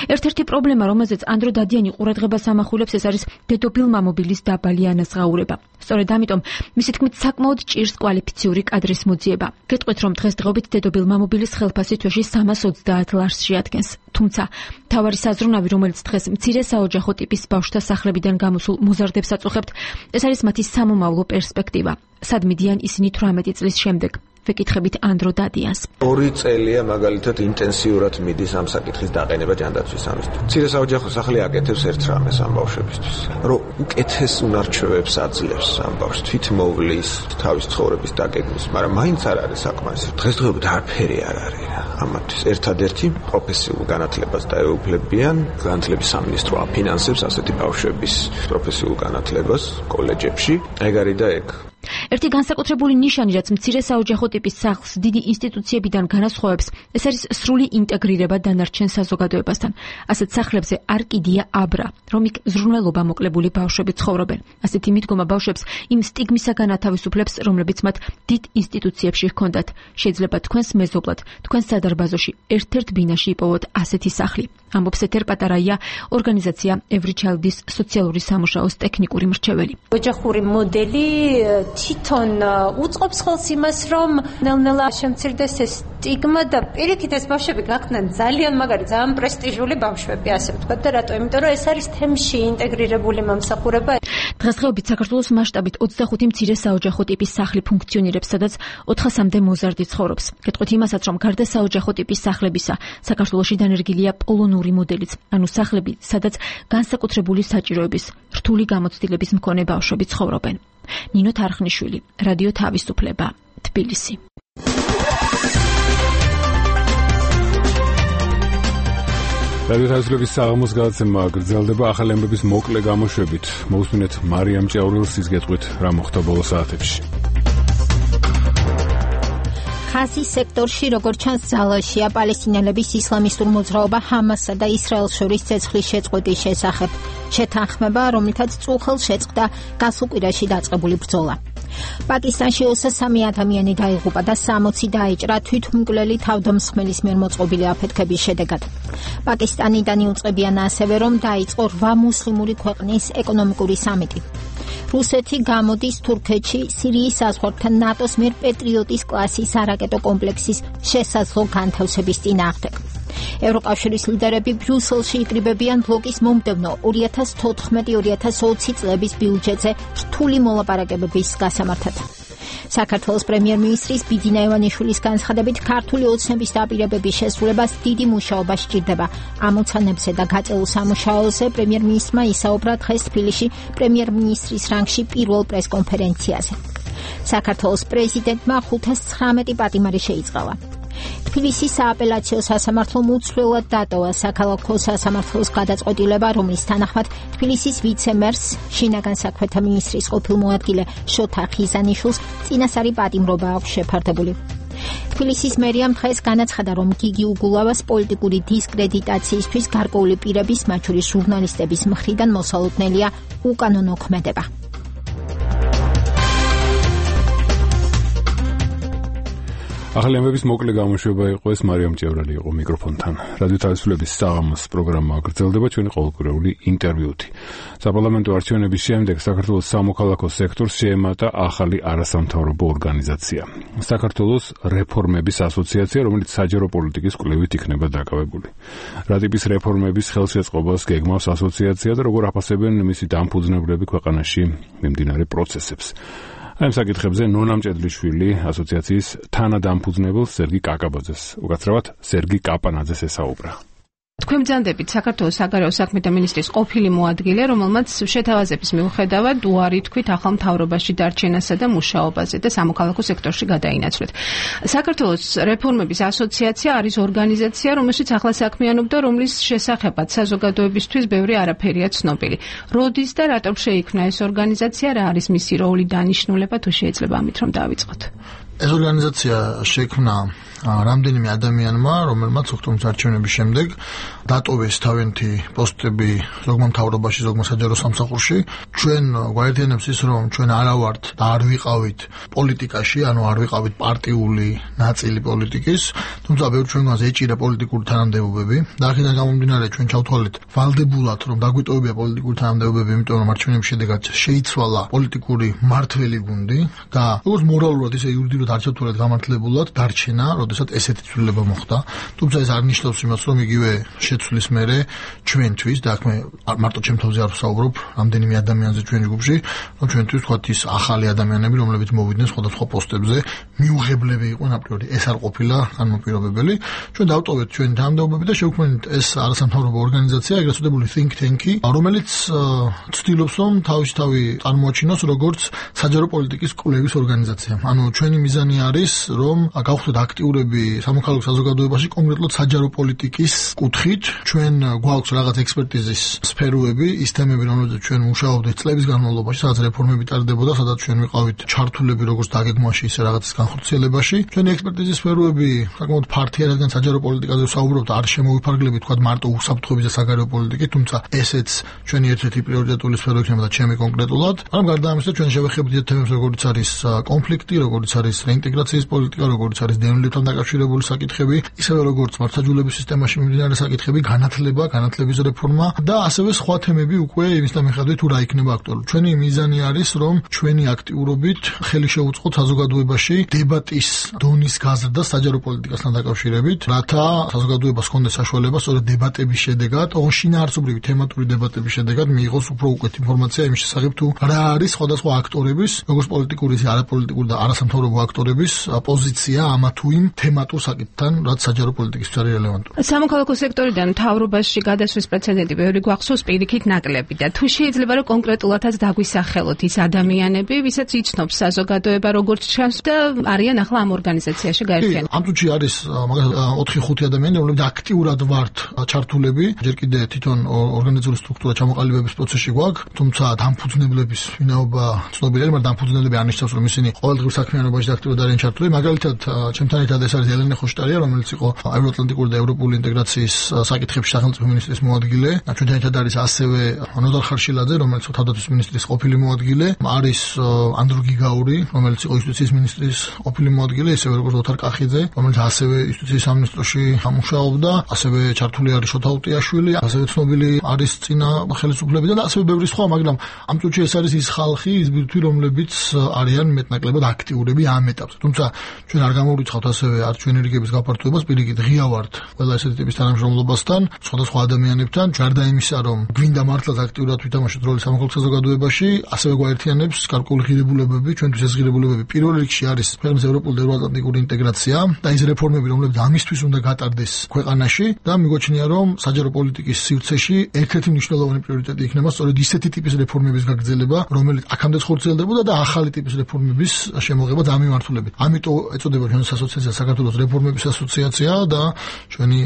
ერთ-ერთი პრობლემა, რომელზეც ანდრო დადიანი ყურადღებას ამახვილებს, ეს არის დედობილ მამობილის დაბალი ანაზღაურება. სწორედ ამიტომ, მისი თქმით, საკმაოდ ჭირს კვალიფიციური კადრის მოძიება. გეტყვით, რომ დღესდღეობით დედობილ მამობილის ხელფასი თვეში 330 ლარს შეადგენს. თუმცა, მთავარი საზრუნავი, რომელიც დღეს მცირე საოჯახო ტიპის ბავშვთა სახლებიდან გამოსულ მოზარდებს აწუხებთ, ეს არის მათი სამომავლო პერსპექტივა. სად მიდიან ისინი 18 წლის შემდეგ? ვეკითხებით ანდრო დადიანს. 2 წელია მაგალითად ინტენსიურად მიდის ამ საკითხის დაყენება ჯანდაცვის სამისთვის. მცირე საოჯახო სახლი აკეთებს ერთ რამეს ამ ბავშვებისთვის, რომ უკეთეს უნარჩვევებს აძლევს ამ ბავშვს თვითმოვლის, თავის ცხოვრების დაგეგმვის, მაგრამ მაინც არ არის საკმარისი. დღესდღეობით არაფერი არ არის ამათთვის. ერთადერთი პროფესიულ განათლებას დაეუფლებიან, განათლების სამინისტრო აფინანსებს ასეთი ბავშვების პროფესიულ განათლებას კოლეჯებში, ეგ არის და ეგ. ერთი განსაკუთრებული ნიშანი, რაც მცირე საოჯახო ტიპის სახლს დიდი ინსტიტუციებიდან განასხვავებს, ეს არის სრული ინტეგრირება დანარჩენ საზოგადოებასთან. ასეთ სახლებზე არ კიდია აბრა, რომ იქ ზრუნველობა მოკლებული ბავშვები ცხოვრობენ. ასეთი მიდგომა ბავშვებს იმ სტიგმისაგან ათავისუფლებს, რომლებიც მათ დიდ ინსტიტუციებში ჰქონდათ. შეიძლება თქვენს მეზობლად, თქვენს სადარბაზოში ერთ-ერთ ბინაში იპოვოთ ასეთი სახლი. ამბობს ეთერ პატარაია, ორგანიზაცია Every Child-ის სოციალური სამუშაოს ტექნიკური მრჩეველი. ოჯახური მოდელი თვითონ უწყობს ხელს იმას, რომ ნელ-ნელა შემცირდეს ეს სტიგმა და პირიქით ეს ბავშვები გახდნენ ძალიან მაგარი, ძალიან პრესტიჟული ბავშვები, ასე ვთქვათ და რატო? იმიტომ რომ ეს არის თემში ინტეგრირებული მომსახურება. დღესდღეობით საქართველოს მასშტაბით 25 მცირე საოჯახო ტიპის სახლი ფუნქციონირებს, სადაც 400-მდე მოზარდი ცხოვრობს. გეტყვით იმასაც, რომ გარდა საოჯახო ტიპის სახლებისა, საქართველოში დანერგილია პოლონური მოდელიც, ანუ სახლები, სადაც განსაკუთრებული საჭიროების, რთული გამოცდილების მქონე ბავშვები ცხოვრობენ. ნინო თარხნიშვილი, რადიო თავისუფლება, თბილისი. რადიო თავისუფლების საღამოს გადაცემა გრძელდება ახალი ამბების მოკლე გამოშვებით. მოусმინეთ მარიამ ჭიაურელს ის გეტყვით რა მოხდა ბოლო საათებში. ხაზის სექტორში, როგორც ჩანს, ძალაშია პალესტინელების ისლამისტურ მოძრაობა ჰამასსა და ისრაელს შორის ცეცხლის შეწყვეტის შესახებ შეთანხმება, რომლითაც წუხელს შეწყდა გასულ კვირაში დაწყებული ბრძოლა. პაკისტანში 23 ადამიანი დაიღუპა და 60 დაიჭრა თვითმკვლელი თავდამსხმელის მიერ მოწყობილი აფეთქების შედეგად. პაკისტანიდან იუწყებიან ასევე, რომ დაიწყო 8 მუსლიმური ქვეყნის ეკონომიკური სამიტი. რუსეთი გამოდის თურქეთში სირიის საზღვართან ნატოს მიერ პეტრიოტის კლასის არაკეტო კომპლექსის შესაძლო განთავსების წინააღმდეგ. ევროკავშირის ლიდერები ბრიუსელში იკრიბებიან ბლოკის მომდევნო 2014-2020 წლების ბიუჯეტზე რთული მოლაპარაკებების გასამართად. საქართველოს პრემიერ-მინისტრის ბიძინა ივანიშვილის განცხადებით, ქართული ოცნების დაპირებების შესრულებას დიდი მუშაობა სჭირდება. ამოცანებზე და გაწეულ სამუშაოზე პრემიერ-მინისტრმა ისაუბრა დღეს თბილისში პრემიერ-მინისტრის რანგში პირველ პრესკონფერენციაზე. საქართველოს პრეზიდენტმა 519 პატიმარი შეიწყალა. თბილისის სააპელაციო სასამართლომ უცვლელად დატოვა საქალაქო სასამართლოს გადაწყვეტილება, რომლის თანახმად თბილისის ვიცე-მერს, შინაგან საქმეთა მინისტრის ყოფილ მოადგილე შოთა ხიზანიშვილს წინასწარი პატიმრობა აქვს შეფარდებული. თბილისის მერიამ დღეს განაცხადა, რომ გიგი უგულავას პოლიტიკური დისკრედიტაციისთვის გარკვეული პირების, მათ შორის ჟურნალისტების მხრიდან მოსალოდნელია უკანონო ქმედება. ახალი ამბების მოკლე გამოშვება იყო ეს, მარიამ ჭიაურელი იყო მიკროფონთან. რადიო თავისუფლების საღამოს პროგრამა გრძელდება ჩვენი ყოველკვირეული ინტერვიუთი. საპარლამენტო არჩევნების შემდეგ საქართველოს სამოქალაქო სექტორს შეემატა ახალი არასამთავრობო ორგანიზაცია. საქართველოს რეფორმების ასოციაცია, რომელიც საჯარო პოლიტიკის კვლევით იქნება დაკავებული. რა ტიპის რეფორმების ხელშეწყობას გეგმავს ასოციაცია და როგორ აფასებენ მისი დამფუძნებლები ქვეყანაში მიმდინარე პროცესებს. ამ საკითხებზე ნონა მჭედლიშვილი ასოციაციის თანადამფუძნებელ სერგი კაკაბაძეს, უკაცრავად სერგი კაპანაძეს ესაუბრა. თქვენ ბრძანდებით საქართველოს საგარეო საქმეთა მინისტრის ყოფილი მოადგილე, რომელმაც შეთავაზების მიუხედავად უარი თქვით ახალ მთავრობაში დარჩენასა და მუშაობაზე და სამოქალაქო სექტორში გადაინაცვლეთ. საქართველოს რეფორმების ასოციაცია არის ორგანიზაცია, რომელშიც ახლა საქმიანობდა, რომლის შესახებაც საზოგადოებისთვის ბევრი არაფერია ცნობილი. როდის და რატომ შეიქმნა ეს ორგანიზაცია, რა არის მისი როლი, დანიშნულება, თუ შეიძლება ამით რომ დავიწყოთ? ეს ორგანიზაცია შექმნა რამდენიმე ადამიანმა, რომელმაც ოქტომბრის არჩევნების შემდეგ დატოვეს თავიანთი პოსტები ზოგმა მთავრობაში, ზოგმა საჯარო სამსახურში. ჩვენ გვაერთიანებს ის, რომ ჩვენ არა ვართ და არ ვიყავით პოლიტიკაში, ანუ არ ვიყავით პარტიული ნაწილი პოლიტიკის, თუმცა ბევრ ჩვენგანს ეჭირა პოლიტიკური თანამდებობები და აქედან გამომდინარე ჩვენ ჩავთვალეთ ვალდებულად, რომ დაგვიტოვებია პოლიტიკური თანამდებობები, იმიტომ რომ არჩევნების შედეგად შეიცვალა პოლიტიკური მმართველი გუნდი და როგორც მორალურად ისე იურიდიულად არ ჩავთვალეთ გამართლებულად დარჩენა, როდესაც ესეთი ცვლილება მოხდა. თუმცა ეს არ ნიშნავს იმას, რომ იგივე შეცვლის მერე ჩვენთვის და აქ მე მარტო ჩემთვიზე არ ვსაუბრობ, რამდენიმე ადამიანზე ჩვენი ჯგუფში, რომ ჩვენთვის ვთქვათ ის ახალი ადამიანები, რომლებიც მოვიდნენ სხვადასხვა პოსტებზე, მიუღებლები იყვნენ აპრიორი. ეს არ ყოფილა განმოპირობებელი. ჩვენ დავტოვეთ ჩვენი თანამდებობები და შევქმნით ეს არასამთავრობო ორგანიზაცია, ეგრეთ წოდებული think tank-ი, რომელიც ცდილობს, რომ თავისთავად წარმოაჩინოს როგორც საჯარო პოლიტიკის კვლევის ორგანიზაცია. ანუ ჩვენი მიზანი არის, რომ გავხდეთ აქტიურები სამოქალაქო საზოგადოებაში, კონკრეტულად საჯარო პოლიტიკის კუთხით. ჩვენ გვაქვს რაღაც ექსპერტიზის სფეროები, ის თემები, რომელზეც ჩვენ მუშაობდით წლების განმავლობაში, სადაც რეფორმები ტარდებოდა, სადაც ჩვენ ვიყავით ჩართულები როგორც დაგეგმვაში, ისე რაღაცის განხორციელებაში. ჩვენი ექსპერტიზის სფეროები საკმაოდ ფართია, რადგან საჯარო პოლიტიკაზე ვსაუბრობთ, არ შემოვიფარგლებით თქვა მარტო უსაფრთხოების და საგარეო პოლიტიკით, თუმცა ესეც ჩვენი ერთ-ერთი პრიორიტეტული სფერო იქნება და ჩემი კონკრეტულად. მაგრამ გარდა ამისა, ჩვენ შევეხებთ თემებს, როგორიც არის კონფლიქტი, როგორიც არის რეინტეგრაციის პოლიტიკა, როგორიც არის დევნილებთან დაკავშირებული საკითხები, ისევე როგორც მართლმსაჯულების სისტემაში მიმდინარე საკითხები, განათლების რეფორმა და ასევე სხვა თემები უკვე იმის მიხედვით თუ რა იქნება აქტუალური. ჩვენი მიზანი არის, რომ ჩვენი აქტიურობით ხელი შევუწყოთ საზოგადოებაში დებატის დონის გაზრდა საჯარო პოლიტიკასთან დაკავშირებით, რათა საზოგადოებას ჰქონდეს საშუალება სწორედ დებატების შედეგად, შინაარსობრივი თემატური დებატების შედეგად მიიღოს უფრო უკეთ ინფორმაცია იმის შესახებ თუ რა არის სხვადასხვა აქტორების, როგორც პოლიტიკური, ისე არაპოლიტიკური და არასამთავრობო აქტორების პოზიცია ამა თუ იმ თემატურ საკითხთან, რაც საჯარო პოლიტიკისთვის არის რელევანტური. სამოქალაქო სექტორიდან მთავრობაში გადასვლის პრეცედენტი ბევრი გვახსოვს პირიქით ნაკლები და თუ შეიძლება რომ კონკრეტულადაც დაგვისახელოთ ის ადამიანები, ვისაც იცნობს საზოგადოება როგორც ჩანს და არიან ახლა ამ ორგანიზაციაში გაერთიანებული. ამ წუთში არის მაგალითად 4-5 ადამიანი, რომლებიც აქტიურად ვართ ჩართულები. ჯერ კიდე თვითონ ორგანიზაციული სტრუქტურა ჩამოყალიბების პროცესში გვაქვს, თუმცა დამფუძნებლების ვინაობა ცნობილია, მაგრამ დამფუძნებლები არ ნიშნავს, რომ ისინი ყოველდღიურ საქმიანობაში აქტიურად არიან ჩართულები. მაგალითად, ჩემთან ერთად ეს არის ელენე ხოშტარია, რომელიც იყო ევროატლანტიკური და ევროპული ინტეგრაციის საკითხებში სახელმწიფო მინისტრის მოადგილე. ჩვენთან ერთად არის ასევე ნოდარ ხარშილაძე, რომელიც თავდაცვის მინისტრის ყოფილი მოადგილე, არის ანდრო გიგაური, რომელიც იყო იუსტიციის მინისტრის ყოფილი მოადგილე, ისევე როგორც ოთარ კახიძე, რომელიც ასევე იუსტიციის სამინისტროში მუშაობდა, ასევე ჩართული არის შოთა უტიაშვილი, ასევე ცნობილი არის წინა ხელისუფლებიდან და ასევე ბევრი სხვა, მაგრამ ამ წუთში ეს არის ის ხალხი, ის ბირთვი, რომლებიც არიან მეტნაკლებად აქტიურები ამ ეტაპზე. თუმცა ჩვენ არ გამოვიწყავთ ასევე არჩევნი რიგების გაფართოებას, პირიქით ღია ვართ ყველა ესეთი ტიპის თანამშრომლობასთან, სხვადასხვა ადამიანებთან, ჯარდა იმისა, რომ გვინდა მართლაც აქტიურად ვითამაშოთ როლი სამოქალაქო საზოგადოებაში, ასევე გვაერთიანებს გარკვეული ღირებულებები, ჩვენთვის ეს ღირებულებები პირველ რიგში არის ქვეყნის ევროპული და ევროატლანტიკური ინტეგრაცია და ის რეფორმები, რომლებიც ამისთვის უნდა გატარდეს ქვეყანაში და მიგვაჩნია, რომ საჯარო პოლიტიკის სივრცეში ერთ-ერთი მნიშვნელოვანი პრიორიტეტი იქნება სწორედ ისეთი ტიპის რეფორმების გაგრძელება, რომელიც აქამდეც ხორციელდებოდა და ახალი ტიპის რეფორმების შემოღება დამიმართულებით. ამიტომ ეწოდება ჩვენს ასოციაციას საქართველოს რეფორმების ასოციაცია და ჩვენი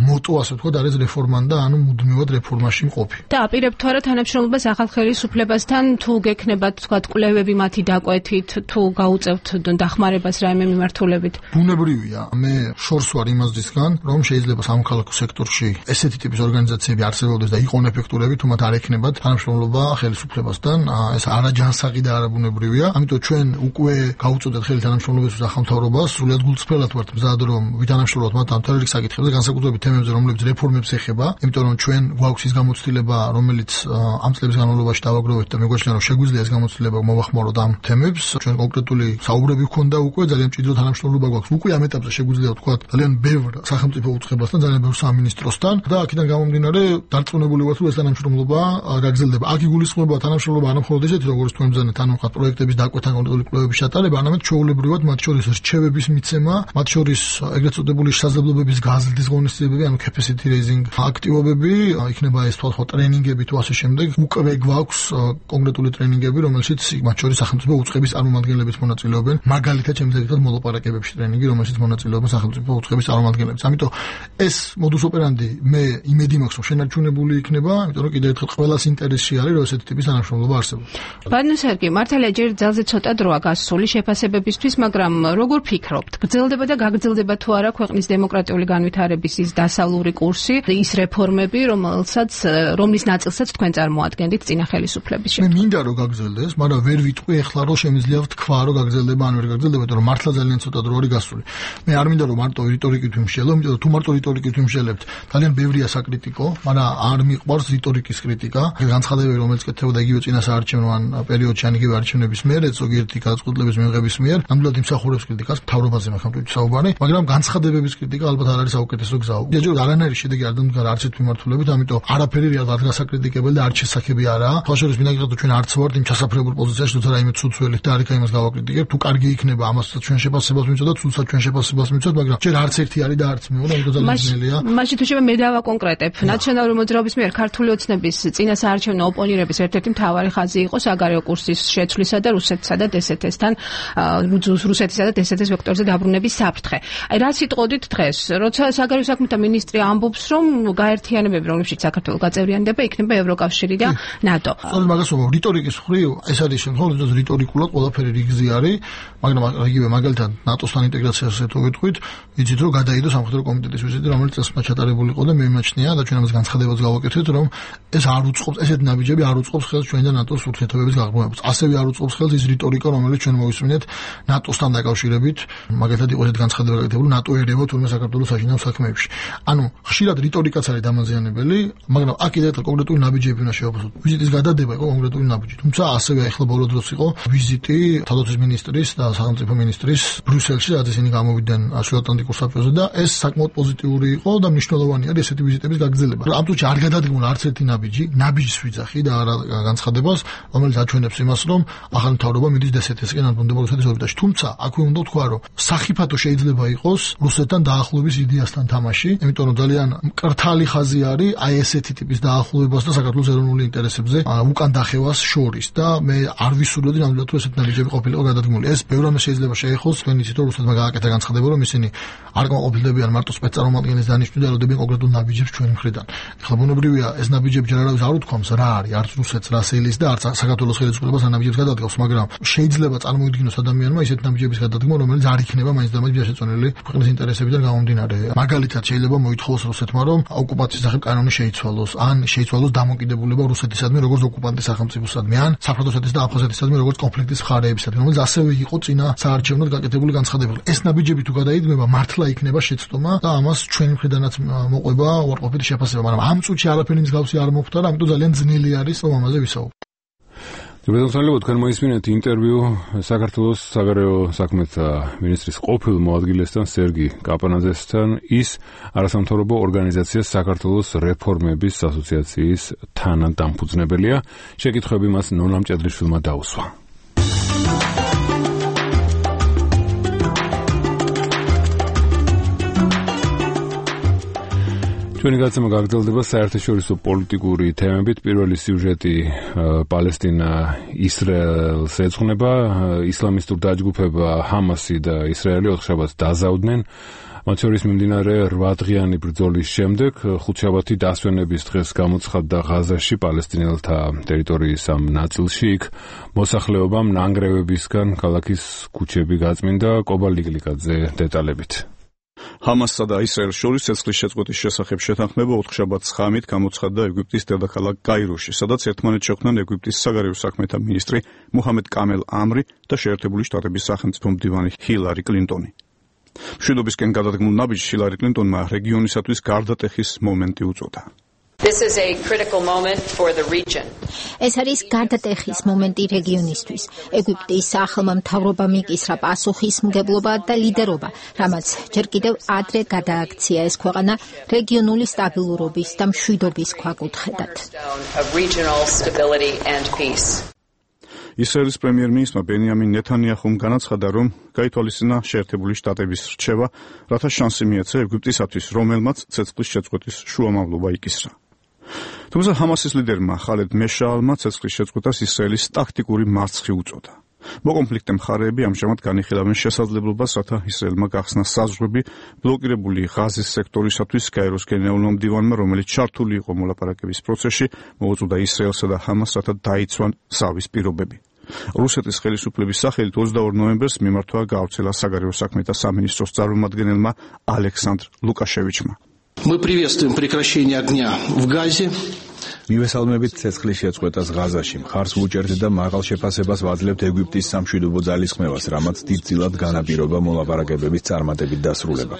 მოტო ასე ვთქვათ არის რეფორმანდა, ანუ მუდმივად რეფორმაში მყოფი. და აპირებთ თუ არა თანამშრომლობას ახალ ხელისუფლებასთან, თუ გექნებათ თქვათ კვლევები მათი დაკვეთით, თუ გაუწევთ დახმარებას რაიმე მიმართულებით? ბუნებრივია, მე შორს ვარ იმასდისგან, რომ შეიძლება სამოქალაქო სექტორში ესეთი ტიპის ორგანიზაციები არსებობდეს და იყვნენ ეფექტურები, თუ მათ არ ექნებათ თანამშრომლობა ხელისუფლებასთან, ეს არაჯანსაღი და არაბუნებრივია. ამიტომ ჩვენ უკვე გავუწოდეთ ხელი თანამშრომლობისთვის ახალმთავრობას, სრულიად გულწრფელად ვართ მზად, რომ ვითანამშრომლოთ მათ ამ თერორისტ საკითხებზე, განსაკუთრებით თემებზე, რომლებიც რეფორმებს ეხება, იმიტომ რომ ჩვენ გვაქვს ის გამოცდილება, რომელიც ამ წლების განმავლობაში დავაგროვეთ და მეგვაჩნია, რომ შეგვიძლია ეს გამოცდილება მოვახმაროთ ამ თემებს. ჩვენ კონკრეტული საუბრები გვქონდა უკვე, ძალიან მჭიდრო თანამშრომლობა გვაქვს. უკვე ამ ეტაპზე შეგვიძლია ვთქვათ, ძალიან ბევრ სახელმწიფო უწყებასთან, ძალიან ბევრ სამინისტროსთან და აქედან გამომდინარე დარწმუნებული ვართ, რომ ეს თანამშრომლობა გაგრძელდება. აქ იგულისხმება თანამშრომლობა არა მხოლოდ ესეთი, როგორც თქვენ ბრძანეთ, ანუ ხა პროექტების დაკვეთა, კონკრეტული კვლევების ჩატარება, არამედ ჩვეულებრივად მათ შორის რჩევების მიცემა, მათ შორის ეგრეთ წოდებული შესაძლებლობების გაზრდის ღონისძიებები, ანუ capacity raising აქტივობები, იქნება ეს თვალხო ტრენინგები თუ ასე შემდეგ. უკვე გვაქვს კონკრეტული ტრენინგები, რომელშიც მათ შორის სახელმწიფო უწყების წარმომადგენლებიც მონაწილეობენ. მაგალითად, შემიძლია მოლაპარაკებებში ტრენინგი, რომელშიც მონაწილეობენ სახელმწიფო უწყების წარმომადგენლებიც. ამიტომ ეს modus operandi მე იმედი მაქვს, რომ შენარჩუნებული იქნება, იმიტომ რომ კიდევ ერთხელ ყველას ინტერესში არის, რომ ესეთი ტიპის თანამშრომლობა არსებობს. ბატონო სერგი, მართალია ჯერ ძალზე ცოტა დროა გასული შეფასებები ხელისუფლებისთვის, მაგრამ როგორ ფიქრობთ, გრძელდება და გაგრძელდება თუ არა ქვეყნის დემოკრატიული განვითარების ის დასავლური კურსი, ის რეფორმები, რომლის ნაწილსაც თქვენ წარმოადგენთ წინა ხელისუფლების მე მინდა რომ გაგრძელდეს, მაგრამ ვერ ვიტყვი ეხლა რომ შემიძლია ვთქვა რომ გაგრძელდება ან ვერ გაგრძელდება, იმიტომ რომ მართლა ძალიან ცოტა დრო არის გასული. მე არ მინდა რომ მარტო რიტორიკით ვიმშელო, იმიტომ რომ თუ მარტო რიტორიკით ვიმშელებთ, ძალიან ბევრია საკრიტიკო, მაგრამ არ მიყვარს რიტორიკის კრიტიკა. განცხადებები რომელიც კეთდებოდა იგივე წინა საარჩევნო პერიოდში ან იგივე არჩევნების მიერ, ზოგიერთი გადაწყვეტილების მიღების მიერ, ნამდვილად იმსახურებს კრიტიკას, მთავრობაზე მაგალითად საუბარი, მაგრამ განცხადებების კრიტიკა ალბათ არ არის საუკეთესო გზა. ჯერჯერობით არანაირი შედეგი არ დამდგარა არც ერთ მიმართულებით, ამიტომ არაფერი არ გასაკრიტიკებელი და არც შესაძლებელი არაა. თვალშორის მინდა გითხრათ, ჩვენ არც ვართ იმ ჩასაფრებულ პოზიციაში, თუ რაიმე ცუცველით და არიქა იმას გავაკრიტიკებთ, თუ კარგი იქნება, ამასაც ჩვენ შეფასებას მივწოდოთ, ცუცად ჩვენ შეფასებას მივწოდოთ, მაგრამ ჯერ არც ერთი არის და არც მეორე, ამიტომ ძალიან ძნელია. მაშინ თუ შეიძლება მე დავაკონკრეტებ, ნაციონალური მოძრაობის მიერ ქართული ოცნების წინა საარჩევნო ოპონირების ერთ-ერთი მთავარი ხაზი იყო საგარეო კურსის შეცვლისა და რუსეთსა და დსთ-თან, რუსეთისა და დსთ-ის ვექტორზე დაბრუნების საფრთხე. აი რა სიტყოდით დღეს, როცა საგარეო საქმეთა მინისტრი ამბობს, რომ გაერთიანებები, რომლებშიც საქართველო გაწევრიანდება, იქნება ევროკავშირი და ნატო. სწორედ მაგას ვამბობ, რიტორიკის მხრივ ეს არის შემთხვევა, რომ რიტორიკულად ყველაფერი რიგზი არის, მაგრამ იგივე მაგალითად ნატოსთან ინტეგრაციაზე თუ ვიტყვით, იცით რომ გადაიდო სამხედრო კომიტეტის ვიზიტი, რომელიც წესმა ჩატარებული იყო და მე მიმაჩნია და ჩვენ ამას განცხადებაც გავაკეთეთ, რომ ეს არ უწყობს, ესეთი ნაბიჯები არ უწყობს ხელს ჩვენ და ნატოს ურთიერთობების გაღრმავებას. ასევე არ უწყობს ხელს ის რიტორიკა, რომელიც ჩვენ მოვისმინეთ ნატოსთან დაკავშირებით, მაგალითად იყო ესეთი განცხადება გაკეთებული ნატო ერევა თურმე საქართველოს საშინაო საქმეებში. ანუ ხშირად რიტორიკაც არის დამაზიანებელი, მაგრამ აქ კიდევ კონკრეტული ნაბიჯები უნდა შევაფასოთ. ვიზიტის გადადება იყო კონკრეტული ნაბიჯი. თუმცა ასევე ახლა ბოლო დროს იყო ვიზიტი თავდაცვის მინისტრის და სახელმწიფო მინისტრის ბრიუსელში, რაც ისინი გამოვიდნენ შუაატლანტიკურ საბჭოზე და ეს საკმაოდ პოზიტიური იყო და მნიშვნელოვანი არის ესეთი ვიზიტების გაგრძელება. ამ წუთში არ გადადგმულა არც ერთი ნაბიჯის ვიძახი და არა განცხადებას, რომელიც აჩვენებს იმას, რომ ახალი მთავრობა მიდის დსთ-ისკენ ან ბუნდება რუსეთის ორბიტაში. თუმცა აქვე უნდა ვთქვა, რომ სახიფათო შეიძლება იყოს რუსეთთან დაახლოების იდეასთან თამაში, იმიტომ რომ ძალიან მკრთალი ხაზი არის აი ესეთი ტიპის დაახლოებას და საქართველოს ეროვნული ინტერესებზე უკან დახევას შორის და მე არ ვისურვებდი ნამდვილად თუ ესეთი ნაბიჯები ყოფილიყო გადადგმული. ეს ბევრ რამეს შეიძლება შეეხოს, თქვენ იცით რომ რუსეთმა გააკეთა განცხადება, რომ ისინი არ გამოყოფილებიან მარტო სპეცწარმოადგენლის დანიშვნით და ელოდებიან კონკრეტულ ნაბიჯებს ჩვენი მხრიდან. ეხლა ბუნებრივია ეს ნაბიჯები ჯერ არავის არ უთქვამს რა არის, არც რუსეთს რა სელის და არც საქართველოს ხელისუფლებას ამ ნაბიჯებს გადადგავს, მაგრამ შეიძლება წარმოიდგინოს ადამიანმა ისეთ ნაბიჯების გადადგმა, რომელიც არ იქნება მაინც და მაინც შეწონილი ქვეყნის ინტერესებიდან გამომდინარე. მაგალითად შეიძლება მოითხოვოს რუსეთმა, რომ ოკუპაციის სახით კანონი შეიცვალოს, ან შეიცვალოს დამოკიდებულება რუსეთისადმი როგორც ოკუპანტის სახელმწიფოსადმი, ან საფრანგეთისადმი და აფხაზეთისადმი როგორც კონფლიქტის მხარეებისადმი, რომელიც ასევე იყო წინა საარჩევნოდ გაკეთებული განცხადება. ეს ნაბიჯები თუ გადაიდგმება, მართლა იქნება შეცდომა და ამას ჩვენი მხრიდანაც მოყვება უარყოფითი შეფასება, მაგრამ ამ წუთში არაფერი მსგავსი არ მოხდა, ამიტომ ძალიან ძნელი არის რომ ამაზე ვისაუბროთ. ჯობედონსალებო, თქვენ მოისმინეთ ინტერვიუ საქართველოს საგარეო საქმეთა მინისტრის ყოფილ მოადგილესთან სერგი კაპანაძესთან, ის არასამთავრობო ორგანიზაცია საქართველოს რეფორმების ასოციაციის თანადამფუძნებელია. შეკითხვები მას ნონა მჭედლიშვილმა დაუსვა. ჩვენი გაცემა გაგრძელდება საერთაშორისო პოლიტიკური თემებით. პირველი სიუჟეტი პალესტინა-ისრაელს ეძღვნება. ისლამისტურ დაჯგუფება ჰამასი და ისრაელი ოთხშაბათს დაზავდნენ. მათ შორის მიმდინარე 8 დღიანი ბრძოლის შემდეგ ხუთშაბათი დასვენების დღეს გამოცხადდა ღაზაში პალესტინელთა ტერიტორიის ამ ნაწილში. იქ მოსახლეობამ ნანგრევებისგან ქალაქის ქუჩები გაწმინდა. კობა ლიგლიკაძე დეტალებით. ჰამასსა და ისრაელს შორის ცეცხლის შეწყვეტის შესახებ შეთანხმება ოთხშაბათს ღამით გამოცხადდა ეგვიპტის დედაქალაქ კაიროში, სადაც ერთმანეთს შეხვდნენ ეგვიპტის საგარეო საქმეთა მინისტრი მუჰამედ კამელ ამრი და შეერთებული შტატების სახელმწიფო მდივანი ჰილარი კლინტონი. მშვიდობისკენ გადადგმულ ნაბიჯს ჰილარი კლინტონმა რეგიონისათვის გარდატეხის მომენტი უწოდა. This is a critical moment for the region. ეს არის გარდატეხის მომენტი რეგიონისთვის. ეგვიპტის ახლმა მთავრობამ იკისრა პასუხისმგებლობა და ლიდერობა, რამაც ჯერ კიდევ ადრე გადააქცია ეს ქვეყანა რეგიონული სტაბილურობის და მშვიდობის ქვაკუთხედად. ისრაელის პრემიერ-მინისტრმა ბენიამინ ნეთანიაჰუმ განაცხადა, რომ გაითვალისწინა შეერთებული შტატების რჩევა, რათა შანსი მიეცა ეგვიპტისათვის, რომელმაც ცეცხლის შეწყვეტის შუამავლობა იკისრა. თუმცა ჰამასის ლიდერმა ხალედ მეშაალმა ცეცხლის შეწყვეტას ისრაელის ტაქტიკური მარცხი უწოდა. მოკონფლიქტე მხარეები ამჟამად განიხილავენ შესაძლებლობას, რათა ისრაელმა გახსნა საზღვრები ბლოკირებული ღაზის სექტორისათვის. კაიროს გენერალურმა მდივანმა, რომელიც ჩართული იყო მოლაპარაკების პროცესში, მოუწოდა ისრაელსა და ჰამას, რათა დაიცვან ზავის პირობები. რუსეთის ხელისუფლების სახელით 22 ნოემბერს მიმართვა გავრცელა საგარეო საქმეთა სამინისტროს წარმომადგენელმა ალექსანდრ ლუკაშევიჩმა. Мы приветствуем прекращение огня в Газе. მივესალმებით ცეცხლის შეწყვეტას ღაზაში. მხარს ვუჭერთ და მაღალ შეფასებას ვაძლევთ ეგვიპტის სამშვიდობო ძალისხმევას, რამაც დიდწილად განაპირობა მოლაპარაკებების წარმატებით დასრულება.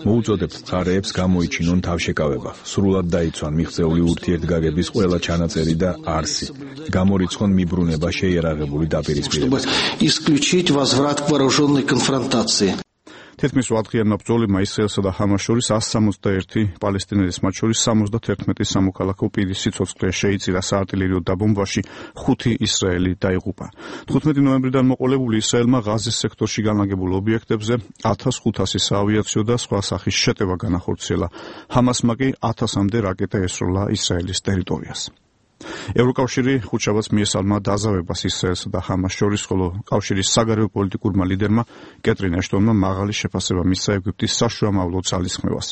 მოუწოდებთ მხარეებს გამოიჩინონ თავშეკავება, სრულად დაიცვან მიღწეული ურთიერთგაგების ყველა ჩანაწერი და არსი, გამორიცხონ მიბრუნება შეიარაღებული დაპირისპირება. Исключить возврат к вооруженной конфронтации. თითქმის 8-დღიანმა ბრძოლებმა ისრაელსა და ჰამას შორის 161 პალესტინელის, მათ შორის 71 სამოქალაქო პირის სიცოცხლე შეიწირა საარტილერიო დაბომბვაში, 5 ისრაელი დაიღუპა. 15 ნოემბრიდან მოყოლებული ისრაელმა ღაზის სექტორში განლაგებულ ობიექტებზე 1500 საავიაციო და სხვა სახის შეტევა განახორციელა. ჰამასმა კი 1000-მდე რაკეტა ესროლა ისრაელის ტერიტორიას. ევროკავშირი ხუთშაბათს მიესალმა დაზავებას ისრაელსა და ჰამას შორის, ხოლო კავშირის საგარეო პოლიტიკურმა ლიდერმა კეტრინ აშტონმა მაღალი შეფასება მისცა ეგვიპტის საშუამავლო ძალისხმევას.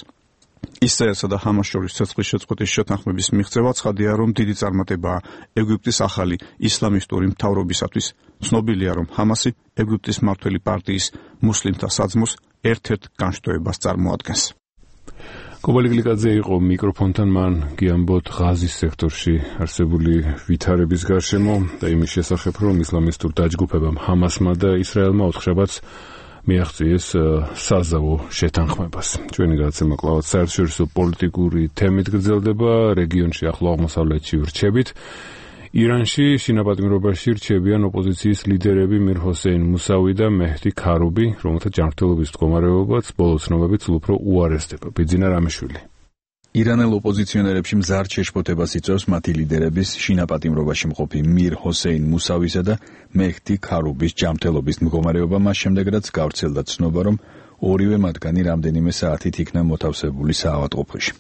ისრაელსა და ჰამას შორის ცეცხლის შეწყვეტის შეთანხმების მიღწევა ცხადია, რომ დიდი წარმატებაა ეგვიპტის ახალი ისლამისტური მთავრობისათვის. ცნობილია, რომ ჰამასი ეგვიპტის მმართველი პარტიის მუსლიმთა საძმოს ერთ-ერთ განშტოებას წარმოადგენს. კობალი გლიკაძე იყო მიკროფონთან, მან გიამბოთ ღაზის სექტორში არსებული ვითარების გარშემო და იმის შესახებ, რომ ისლამისტურ დაჯგუფებამ ჰამასმა და ისრაელმა ოთხშაბათს მიაღწიეს საზავო შეთანხმებას. ჩვენი გადაცემა კვლავ საერთაშორისო პოლიტიკური თემით გრძელდება, რეგიონში ახლო აღმოსავლეთში ვრჩებით. ირანში შინაპატიმრობაში რჩებიან ოპოზიციის ლიდერები მირ ჰოსეინ მუსავი და მეჰდი ქარუბი, რომელთა ჯანმრთელობის მდგომარეობაც ბოლო ცნობებით უფრო უარესდება. ბიძინა რამიშვილი. ირანელ ოპოზიციონერებში მზარდ შეშფოთებას იწვევს მათი ლიდერების შინაპატიმრობაში მყოფი მირ ჰოსეინ მუსავისა და მეჰდი ქარუბის ჯანმრთელობის მდგომარეობა, მას შემდეგ რაც გავრცელდა ცნობა, რომ ორივე მათგანი რამდენიმე საათით იქნა მოთავსებული საავადმყოფოში.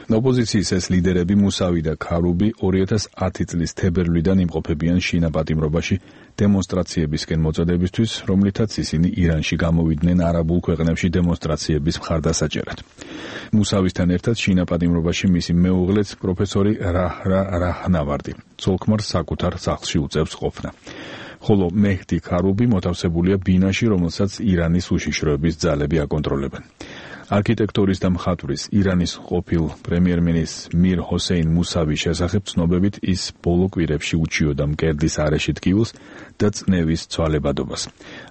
ოპოზიციის ეს ლიდერები მუსავი და ქარუბი 2010 წლის თებერვლიდან იმყოფებიან შინაპატიმრობაში დემონსტრაციებისკენ მოწოდებისთვის, რომლითაც ისინი ირანში გამოვიდნენ არაბულ ქვეყნებში დემონსტრაციების მხარდასაჭერად. მუსავისთან ერთად შინაპატიმრობაში მისი მეუღლეც პროფესორი რაჰრა რაჰნავარდი ცოლ-ქმარს საკუთარ სახლში უწევს ყოფნა. ხოლო მეჰდი ქარუბი მოთავსებულია ბინაში, რომელსაც ირანის უშიშროების ძალები აკონტროლებენ. არქიტექტურის და მხატვრის ირანის ყოფილ პრემიერ-მინისტრ მირ ჰოსეინ მუსავის შესახებ ცნობებით ის ბოლო კვირებში უჩიოდა მკერდის არეში ტკივილს და წნევის ცვალებადობას.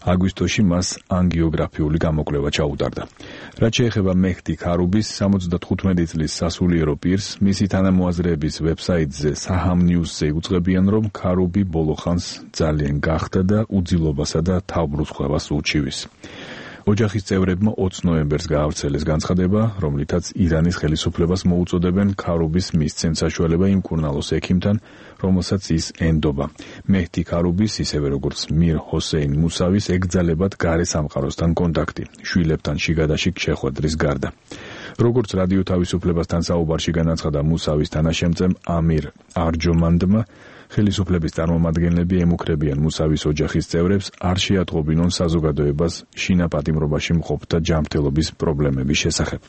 აგვისტოში მას ანგიოგრაფიული გამოკვლევა ჩაუტარდა. რაც შეეხება მეჰდი ქარუბის 75 წლის სასულიერო პირს, მისი თანამოაზრეების ვებსაიტზე საჰამ ნიუსზე უძღვებიან, რომ ქარუბი ბოლო ხანს ძალიან გახდა და უძილობასა და თავბრუსხვევას უჩივის. ოჯახის წევრებმა 20 ნოემბერს გაავრცელეს განცხადება, რომლითაც ირანის ხელისუფლებას მოუწოდებენ ქარუბის მისცემ საშუალება იმ მკურნალოს ექიმთან, რომელსაც ის ენდობა. მეჰდი ქარუბის, ისევე როგორც მირ ჰოსეინ მუსავის, ეკრძალებათ გარე სამყაროსთან კონტაქტი, შვილებთან შიგადაშიგ შეხვედრის გარდა. როგორც რადიო თავისუფლებასთან საუბარში განაცხადა მუსავის თანაშემწემ ამირ არჯომანდმა, ხელისუფლების წარმომადგენლები ემუქრებიან მუსავის ოჯახის წევრებს არ შეატყობინონ საზოგადოებას შინაპატიმრობაში მყოფთა ჯანმრთელობის პრობლემების შესახებ.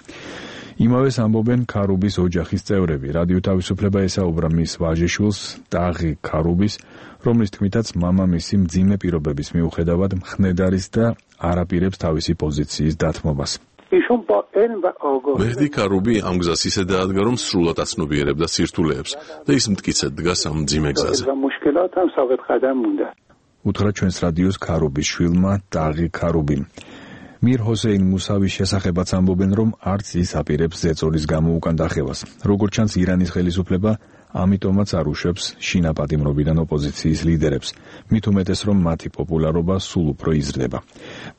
იმავეს ამბობენ ქარუბის ოჯახის წევრები. რადიო თავისუფლება ესაუბრა მის ვაჟიშვილს ტაღი ქარუბის, რომლის თქმითაც მამამისი მძიმე პირობების მიუხედავად მხნედ არის და არაპირებს თავისი პოზიციის დათმობას. მეჰდი ქარუბი ამ გზას ისე დაადგა, რომ სრულად აცნობიერებდა სირთულეებს და ის მტკიცედ დგას ამ მძიმე გზაზე. უთხრა ჩვენს რადიოს ქარუბის შვილმა ტაღი ქარუბიმ. მირ ჰოსეინ მუსავის შესახებაც ამბობენ, რომ არც ის აპირებს ზეწოლის გამო უკან დახევას. როგორც ჩანს, ირანის ხელისუფლება ამიტომაც არ უშვებს შინაპატიმრობიდან ოპოზიციის ლიდერებს, მით უმეტეს, რომ მათი პოპულარობა სულ უფრო იზრდება.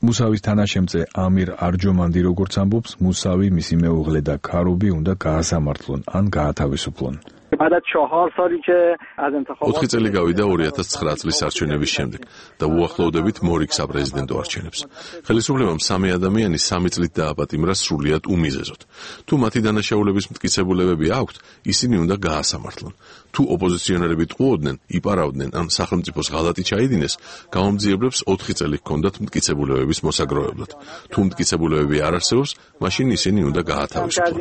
მუსავის თანაშემწე ამირ არჯომანდი როგორც ამბობს, მუსავი, მისი მეუღლე და ქარუბი უნდა გაასამართლონ ან გაათავისუფლონ. 4 წელი გავიდა 2009 წლის არჩევნების შემდეგ და უახლოვდებით მორიგ საპრეზიდენტო არჩევნებს. ხელისუფლებამ 3 ადამიანი 3 წლით დააპატიმრა სრულიად უმიზეზოდ. თუ მათი დანაშაულების მტკიცებულებები აქვთ, ისინი უნდა გაასამართლონ. თუ ოპოზიციონერები ტყუოდნენ, იპარავდნენ ან სახელმწიფოს ღალატი ჩაიდინეს, გამომძიებლებს 4 წელი ჰქონდათ მტკიცებულებების მოსაგროვებლად. თუ მტკიცებულებები არ არსებობს, მაშინ ისინი უნდა გაათავისუფლონ.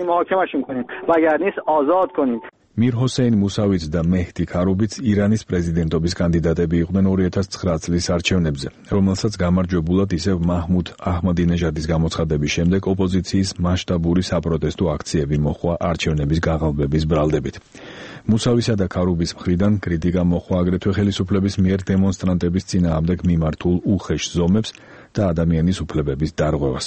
მირ ჰოსეინ მუსავიც და მეჰდი ქარუბიც ირანის პრეზიდენტობის კანდიდატები იყვნენ 2009 წლის არჩევნებზე, რომელსაც გამარჯვებულად ისევ მაჰმუდ აჰმადინეჟადის გამოცხადების შემდეგ ოპოზიციის მასშტაბური საპროტესტო აქციები მოჰყვა არჩევნების გაღალბების ბრალდებით. მუსავისა და ქარუბის მხრიდან კრიტიკა მოჰყვა აგრეთვე ხელისუფლების მიერ დემონსტრანტების წინააღმდეგ მიმართულ უხეშ ზომებს და ადამიანის უფლებების დარღვევას.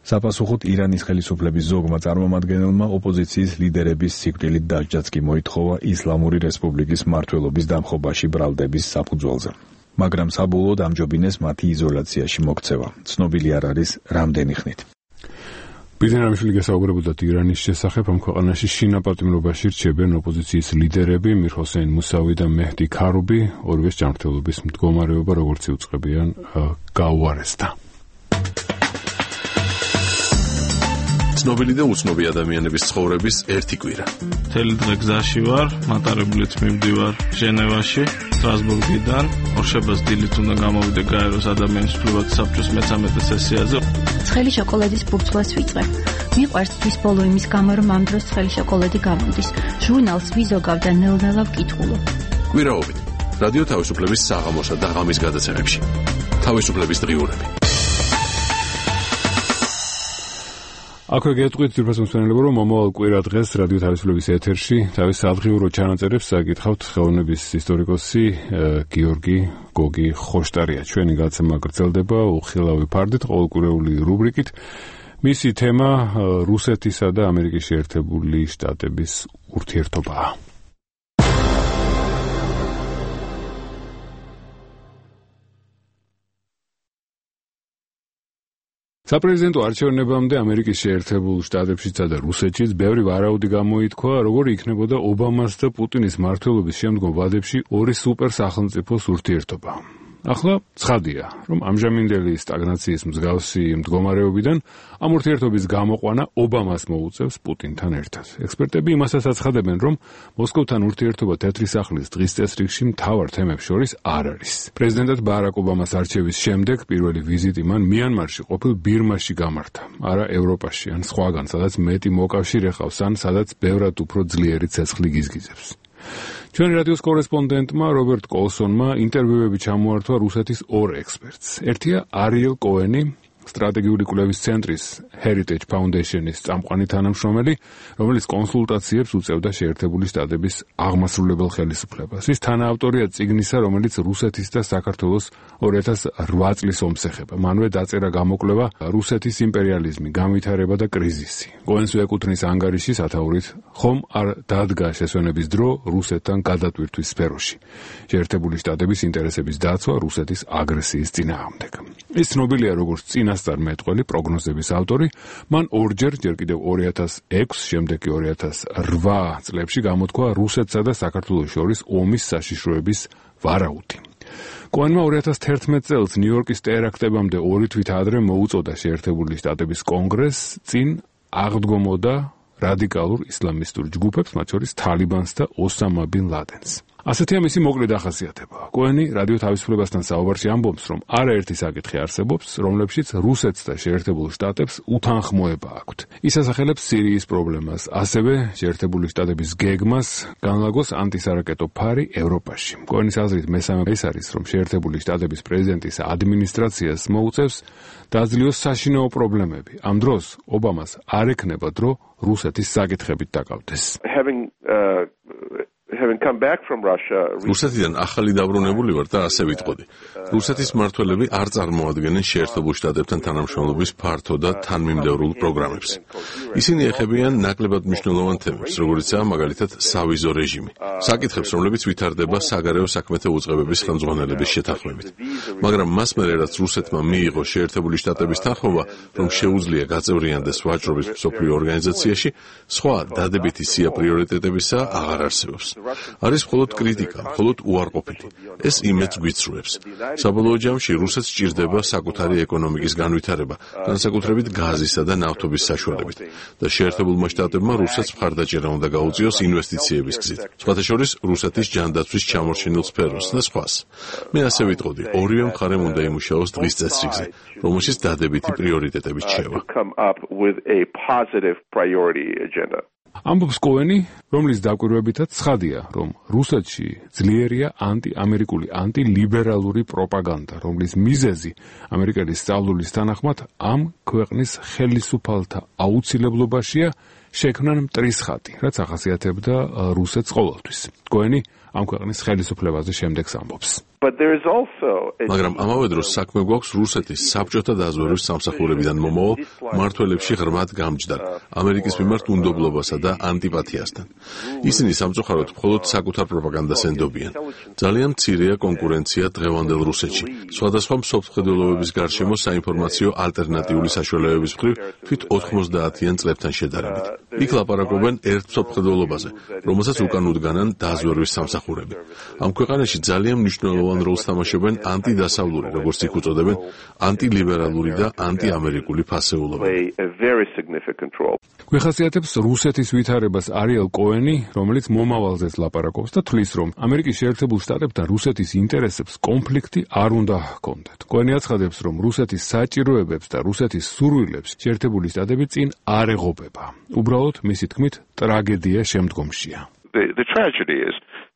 საპასუხოდ ირანის ხელისუფლების ზოგმა წარმომადგენელმა ოპოზიციის ლიდერების სიკვდილით დასჯაც კი მოითხოვა ისლამური რესპუბლიკის მმართველობის დამხობაში ბრალდების საფუძველზე. მაგრამ საბოლოოდ ამჯობინეს მათი იზოლაციაში მოქცევა. ცნობილი არ არის რამდენი ხნით. ბიზნესმენი გასაუბრებოდათ ირანის შესახებ, ამ ქვეყანაში შინაპატიმრობაში რჩებიან ოპოზიციის ლიდერები მირ ჰოსეინ მუსავი და მეჰდი ქარუბი, ორივეს ჯანმრთელობის მდგომარეობა როგორც იუწყებიან გაუარესდა. ცნობილი და უცნობი ადამიანების ცხოვრების ერთი კვირა. მთელი დღე გზაში ვარ, მატარებლით მივდივარ ჟენევაში, სტრასბურგიდან, ორშაბათს დილით უნდა გამოვიდე გაეროს ადამიანის უფლებათა საბჭოს მე-13 სესიაზე. ცხელი შოკოლადის ბურცლას ვიწყებ. მიყვარს თვის ბოლო იმის გამო, რომ ამ დროს ცხელი შოკოლადი გამოდის. ჟურნალს ვიზოგავ და ნელ-ნელა ვკითხულობ. კვირაობით რადიო თავისუფლების საღამოსა და ღამის გადაცემებში. თავისუფლების დღიურები. აქვე გეტყვით ძირფას მსმენელებო, რომ მომავალ კვირა დღეს რადიო თავისუფლების ეთერში თავის სადღიურო ჩანაწერებს საკითხავთ ხელოვნების ისტორიკოსი გიორგი გოგი ხოშტარია. ჩვენი გადაცემა გრძელდება უხილავი ფარდით ყოველკვირეული რუბრიკით. მისი თემა რუსეთისა და ამერიკის შეერთებული შტატების ურთიერთობაა. საპრეზიდენტო არჩევნებამდე ამერიკის შეერთებულ შტატებშიცა და რუსეთშიც ბევრი ვარაუდი გამოითქვა, როგორი იქნებოდა ობამას და პუტინის მმართველობის შემდგომ ვადებში ორი სუპერსახელმწიფოს ურთიერთობა. ახლა ცხადია, რომ ამჟამინდელი სტაგნაციის მსგავსი მდგომარეობიდან ამ ურთიერთობის გამოყვანა ობამას მოუწევს პუტინთან ერთად. ექსპერტები იმასაც აცხადებენ, რომ მოსკოვთან ურთიერთობა თეთრი სახლის დღის წესრიგში მთავარ თემებს შორის არ არის. პრეზიდენტად ბარაკ ობამას არჩევის შემდეგ პირველი ვიზიტი მან მიანმარში ყოფილ ბირმაში გამართა, არა ევროპაში ან სხვაგან, სადაც მეტი მოკავშირე ჰყავს ან სადაც ბევრად უფრო ძლიერი ცეცხლი გიზგიზებს. ჩვენი რადიოს კორესპონდენტმა რობერტ კოლსონმა ინტერვიუები ჩამოართვა რუსეთის ორ ექსპერტს. ერთია არიელ კოენი, სტრატეგიული კვლევის ცენტრის Heritage Foundation-ის წამყვანი თანამშრომელი, რომელიც კონსულტაციებს უწევდა შეერთებული შტატების აღმასრულებელ ხელისუფლებას. ის თანაავტორია წიგნისა, რომელიც რუსეთის და საქართველოს 2008 წლის ომს ეხება. მანვე დაწერა გამოკვლევა რუსეთის იმპერიალიზმი, განვითარება და კრიზისი. კოენს ეკუთვნის ანგარიში სათაურით ხომ არ დადგა შესვენების დრო რუსეთთან გადატვირთვის სფეროში. შეერთებული შტატების ინტერესების დაცვა რუსეთის აგრესიის წინააღმდეგ. ის ცნობილია როგორც წინასწარმეტყველი, პროგნოზების ავტორი, მან ორჯერ, ჯერ კიდევ 2006, შემდეგ კი 2008 წლებში გამოთქვა რუსეთსა და საქართველოს შორის ომის საშიშროების ვარაუდი. კოენმა 2011 წელს ნიუ-იორკის ტერაქტებამდე 2 თვით ადრე მოუწოდა შეერთებული შტატების კონგრესს წინ აღდგომოდა რადიკალურ ისლამისტურ ჯგუფებს, მათ შორის თალიბანს და ოსამა ბინ ლადენს. ასეთია მისი მოკლე დახასიათება. კოენი რადიო თავისუფლებასთან საუბარში ამბობს, რომ არაერთი საკითხი არსებობს, რომლებშიც რუსეთს და შეერთებულ შტატებს უთანხმოება აქვთ. ის ასახელებს სირიის პრობლემას, ასევე შეერთებული შტატების გეგმას განლაგოს ანტისარაკეტო ფარი ევროპაში. კოენის აზრით მესამე ის არის, რომ შეერთებული შტატების პრეზიდენტის ადმინისტრაციას მოუწევს დაძლიოს საშინაო პრობლემები. ამ დროს ობამას არ ექნება დრო რუსეთის საკითხებით დაკავდეს. რუსეთიდან ახალი დაბრუნებული ვარ და ასე ვიტყოდი. რუსეთის მმართველები არ წარმოადგენენ შეერთებულ შტატებთან თანამშრომლობის ფართო და თანმიმდევრულ პროგრამებს. ისინი ეხებიან ნაკლებად მნიშვნელოვან თემებს, როგორიცაა მაგალითად სავიზო რეჟიმი, საკითხებს, რომლებიც ვითარდება საგარეო საქმეთა უწყებების ხელმძღვანელების შეთანხმებით. მაგრამ მას მერე რაც რუსეთმა მიიღო შეერთებული შტატების თანხმობა, რომ შეუძლია გაწევრიანდეს ვაჭრობის მსოფლიო ორგანიზაციაში, სხვა დადებითი სია პრიორიტეტებისა აღარ არსებობს. არის მხოლოდ კრიტიკა, მხოლოდ უარყოფითი. ეს იმედს გვიცრუებს. საბოლოო ჯამში რუსეთს სჭირდება საკუთარი ეკონომიკის განვითარება, განსაკუთრებით გაზისა და ნავთობის საშუალებით და შეერთებულმა შტატებმა რუსეთს მხარდაჭერა უნდა გაუწიოს ინვესტიციების გზით. სხვათა შორის რუსეთის ჯანდაცვის ჩამორჩენილ სფეროს და სხვას. მე ასე ვიტყოდი, ორივე მხარემ უნდა იმუშაოს დღის წესრიგზე, რომელშიც დადებითი პრიორიტეტები რჩება. ამბობს კოენი, რომლის დაკვირვებითაც ცხადია, რომ რუსეთში ძლიერია ანტიამერიკული, ანტილიბერალური პროპაგანდა, რომლის მიზეზი ამერიკელი სწავლის თანახმად ამ ქვეყნის ხელისუფალთა აუცილებლობაშია შექმნან მტრის ხატი, რაც ახასიათებდა რუსეთს ყოველთვის. კოენი ამ ქვეყნის ხელისუფლებაზე შემდეგს ამბობს. მაგრამ ამავე დროს საქმე გვაქვს რუსეთის საბჭოთა დაზვერვის სამსახურებიდან მომავალ მმართველებში ღრმად გამჯდარ ამერიკის მიმართ უნდობლობასა და ანტიპათიასთან. ისინი სამწუხაროდ მხოლოდ საკუთარ პროპაგანდას ენდობიან. ძალიან მცირეა კონკურენცია დღევანდელ რუსეთში. სხვადასხვა მსოფლმხედველობების გარშემო საინფორმაციო ალტერნატიული საშუალებების მხრივ თვით 90-იან წლებთან შედარებით. იქ ლაპარაკობენ ერთ მსოფლმხედველობაზე, რომელსაც უკან უდგანან დაზვერვის სამსახურები. ამ ქვეყანაში ძალიან მნიშვნელოვანი როლს თამაშობენ ანტიდასავლური, როგორც იქ უწოდებენ, ანტილიბერალური და ანტიამერიკული ფასეულობები. გვეხასიათებს რუსეთის ვითარებას არიელ კოენი, რომელიც მომავალზეც ლაპარაკობს და თვლის, რომ ამერიკის შეერთებულ შტატებთან რუსეთის ინტერესებს კონფლიქტი არ უნდა ჰქონდეთ. კოენი აცხადებს, რომ რუსეთის საჭიროებებს და რუსეთის სურვილებს შეერთებული შტატები წინ არ ეღობება. უბრალოდ, მისი თქმით, ტრაგედია შემდგომშია.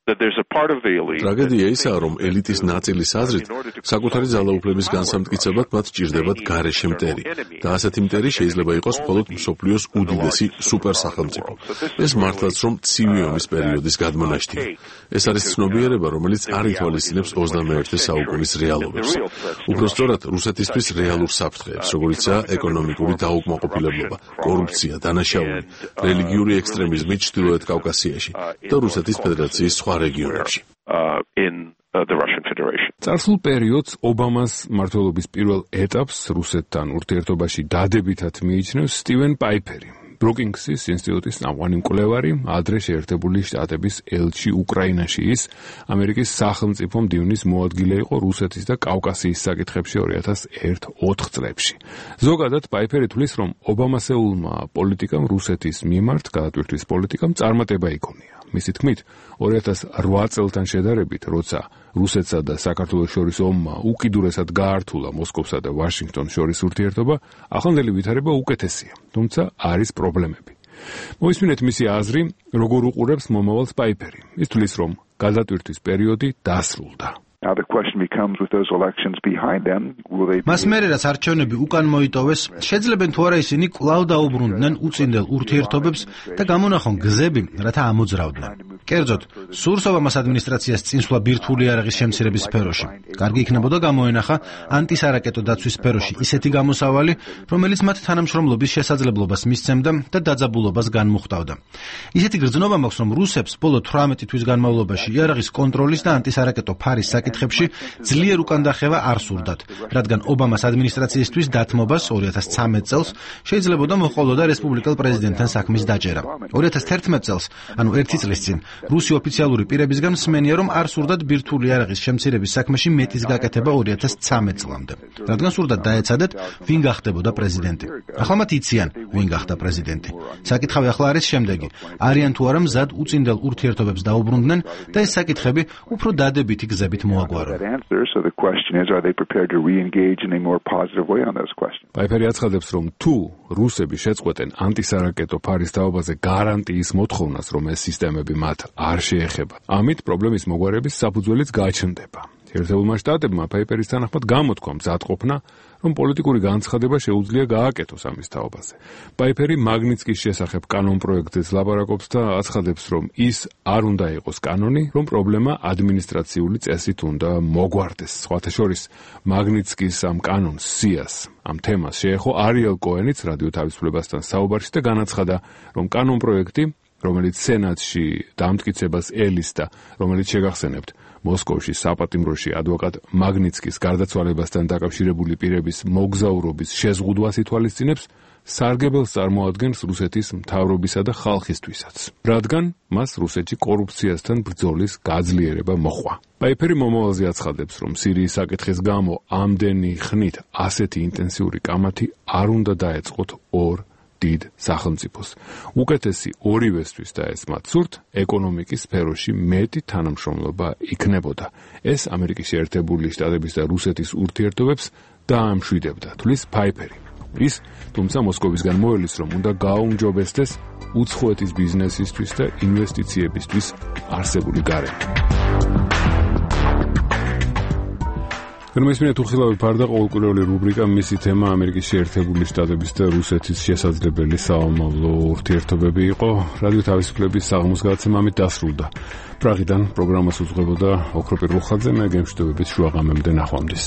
ტრაგედია ისაა, რომ ელიტის ნაწილის აზრით, საკუთარი ძალაუფლების განსამტკიცებლად მათ ჭირდებათ გარეშე მტერი და ასეთი მტერი შეიძლება იყოს მხოლოდ მსოფლიოს უდიდესი სუპერსახელმწიფო. ეს მართლაც რომ ცივი ომის პერიოდის გადმონაშთია. ეს არის ცნობიერება, რომელიც არ ითვალისწინებს 21 საუკუნის რეალობებს. უფრო სწორად, რუსეთისთვის რეალურ საფრთხეებს, როგორიცაა ეკონომიკური დაუკმაყოფილებლობა, კორუფცია, დანაშაული, რელიგიური ექსტრემიზმი ჩრდილოეთ კავკასიაში და რუსეთის ფედერაციის სხვა რეგიონებში. წარსულ პერიოდს ობამას მმართველობის პირველ ეტაპს რუსეთთან ურთიერთობაში დადებითად მიიჩნევს სტივენ პაიფერი, ბრუკინგსის ინსტიტუტის წამყვანი მკვლევარი, ადრე შეერთებული შტატების ელჩი უკრაინაში. ის ამერიკის სახელმწიფო მდივნის მოადგილე იყო რუსეთის და კავკასიის საკითხებში 2001-4 წლებში. ზოგადად პაიფერი თვლის, რომ ობამასეულმა პოლიტიკამ რუსეთის მიმართ გადატვირთვის პოლიტიკამ წარმატება იქონია. მისი თქმით, 2008 წელთან შედარებით, როცა რუსეთსა და საქართველოს შორის ომმა უკიდურესად გაართულა მოსკოვსა და ვაშინგტონს შორის ურთიერთობა, ახლანდელი ვითარება უკეთესია, თუმცა არის პრობლემები. მოვისმინეთ მისი აზრი, როგორ უყურებს მომავალს პაიფერი. ის თვლის, რომ გადატვირთვის პერიოდი დასრულდა. მას მერე რაც არჩევნები უკან მოიტოვეს, შეძლებენ თუ არა ისინი კვლავ დაუბრუნდნენ უწინდელ ურთიერთობებს და გამონახონ გზები, რათა ამოძრავდნენ. კერძოდ, სურს ობამას ადმინისტრაციას წინსვლა ბირთვული იარაღის შემცირების სფეროში. კარგი იქნებოდა გამოენახა ანტისარაკეტო დაცვის სფეროში ისეთი გამოსავალი, რომელიც მათ თანამშრომლობის შესაძლებლობას მისცემდა და დაძაბულობას განმუხტავდა. ისეთი გრძნობა მაქვს, რომ რუსებს ბოლო 18 თვის განმავლობაში იარაღის კონტროლის და ანტისარაკეტო ფარის საკითხებში ძლიერ უკანდახევა არ სურდათ, რადგან ობამას ადმინისტრაციისთვის დათმობას 2013 წელს შეიძლებოდა მოჰყოლოდა რესპუბლიკელ პრეზიდენტთან საქმის დაჭერა. 2011 წელს, ანუ 1 წლის წინ, რუსი ოფიციალური პირებისგან მსმენია, რომ არ სურდათ ბირთვული იარაღის შემცირების საქმეში მეტის გაკეთება 2013 წლამდე, რადგან სურდათ დაეცადეთ, ვინ გახდებოდა პრეზიდენტი. ახლა მათ იციან, ვინ გახდა პრეზიდენტი. საკითხავი ახლა არის შემდეგი: არიან თუ არა მზად უწინდელ ურთიერთობებს დაუბრუნდნენ და ეს საკითხები უფრო დადებითი გზებით მოაგვარონ. პაიფერი აცხადებს, რომ თუ რუსები შეწყვეტენ ანტისარაკეტო ფარის თაობაზე გარანტიის მოთხოვნას, რომ ეს სისტემები მათ არ შეეხება, ამით პრობლემის მოგვარების საფუძველიც გაჩნდება. შეერთებულმა შტატებმა პაიფერის თანახმად გამოთქვა მზადყოფნა, რომ პოლიტიკური განცხადება შეუძლია გააკეთოს ამის თაობაზე. პაიფერი მაგნიცკის შესახებ კანონპროექტზეც ლაპარაკობს და აცხადებს, რომ ის არ უნდა იყოს კანონი, რომ პრობლემა ადმინისტრაციული წესით უნდა მოგვარდეს. სხვათა შორის, მაგნიცკის ამ კანონს სიას, ამ თემას შეეხო არიელ კოენიც რადიო თავისუფლებასთან საუბარში და განაცხადა, რომ კანონპროექტი, რომელიც სენატში დამტკიცებას ელისდა, რომელიც შეგახსენებთ, მოსკოვში საპატიმროში ადვოკატ მაგნიცკის გარდაცვალებასთან დაკავშირებული პირების მოგზაურობის შეზღუდვას ითვალისწინებს, სარგებელს წარმოადგენს რუსეთის მთავრობისა და ხალხისთვისაც, რადგან მას რუსეთში კორუფციასთან ბრძოლის გაძლიერება მოჰყვა. პაიფერი მომავალზე აცხადებს, რომ სირიის საკითხის გამო ამდენი ხნით ასეთი ინტენსიური კამათი არ უნდა დაეწყოთ ორ დიდ სახელმწიფოს. უკეთესი ორივესთვის და ეს მათ სურთ, ეკონომიკის სფეროში მეტი თანამშრომლობა იქნებოდა. ეს ამერიკის შეერთებული შტატების და რუსეთის ურთიერთობებს დაამშვიდებდა, თვლის პაიფერი. ის, თუმცა მოსკოვისგან მოელის, რომ უნდა გააუმჯობესდეს უცხოეთის ბიზნესისთვის და ინვესტიციებისთვის არსებული გარემო. გერმანიის უხილავი ფარდა ყოველკვირეული რუბრიკა მისი თემა ამერიკის შეერთებული შტატების და რუსეთის შესაძლებელი საომავლო ურთიერთობები იყო. რადიო თავისუფლების საღამოს გადაცემა ამით დასრულდა. პრაღიდან პროგრამას უძღვებოდა ოქროპირ რუხაძე, მე გემშვიდობებით შუაღამემდე ნახვამდის.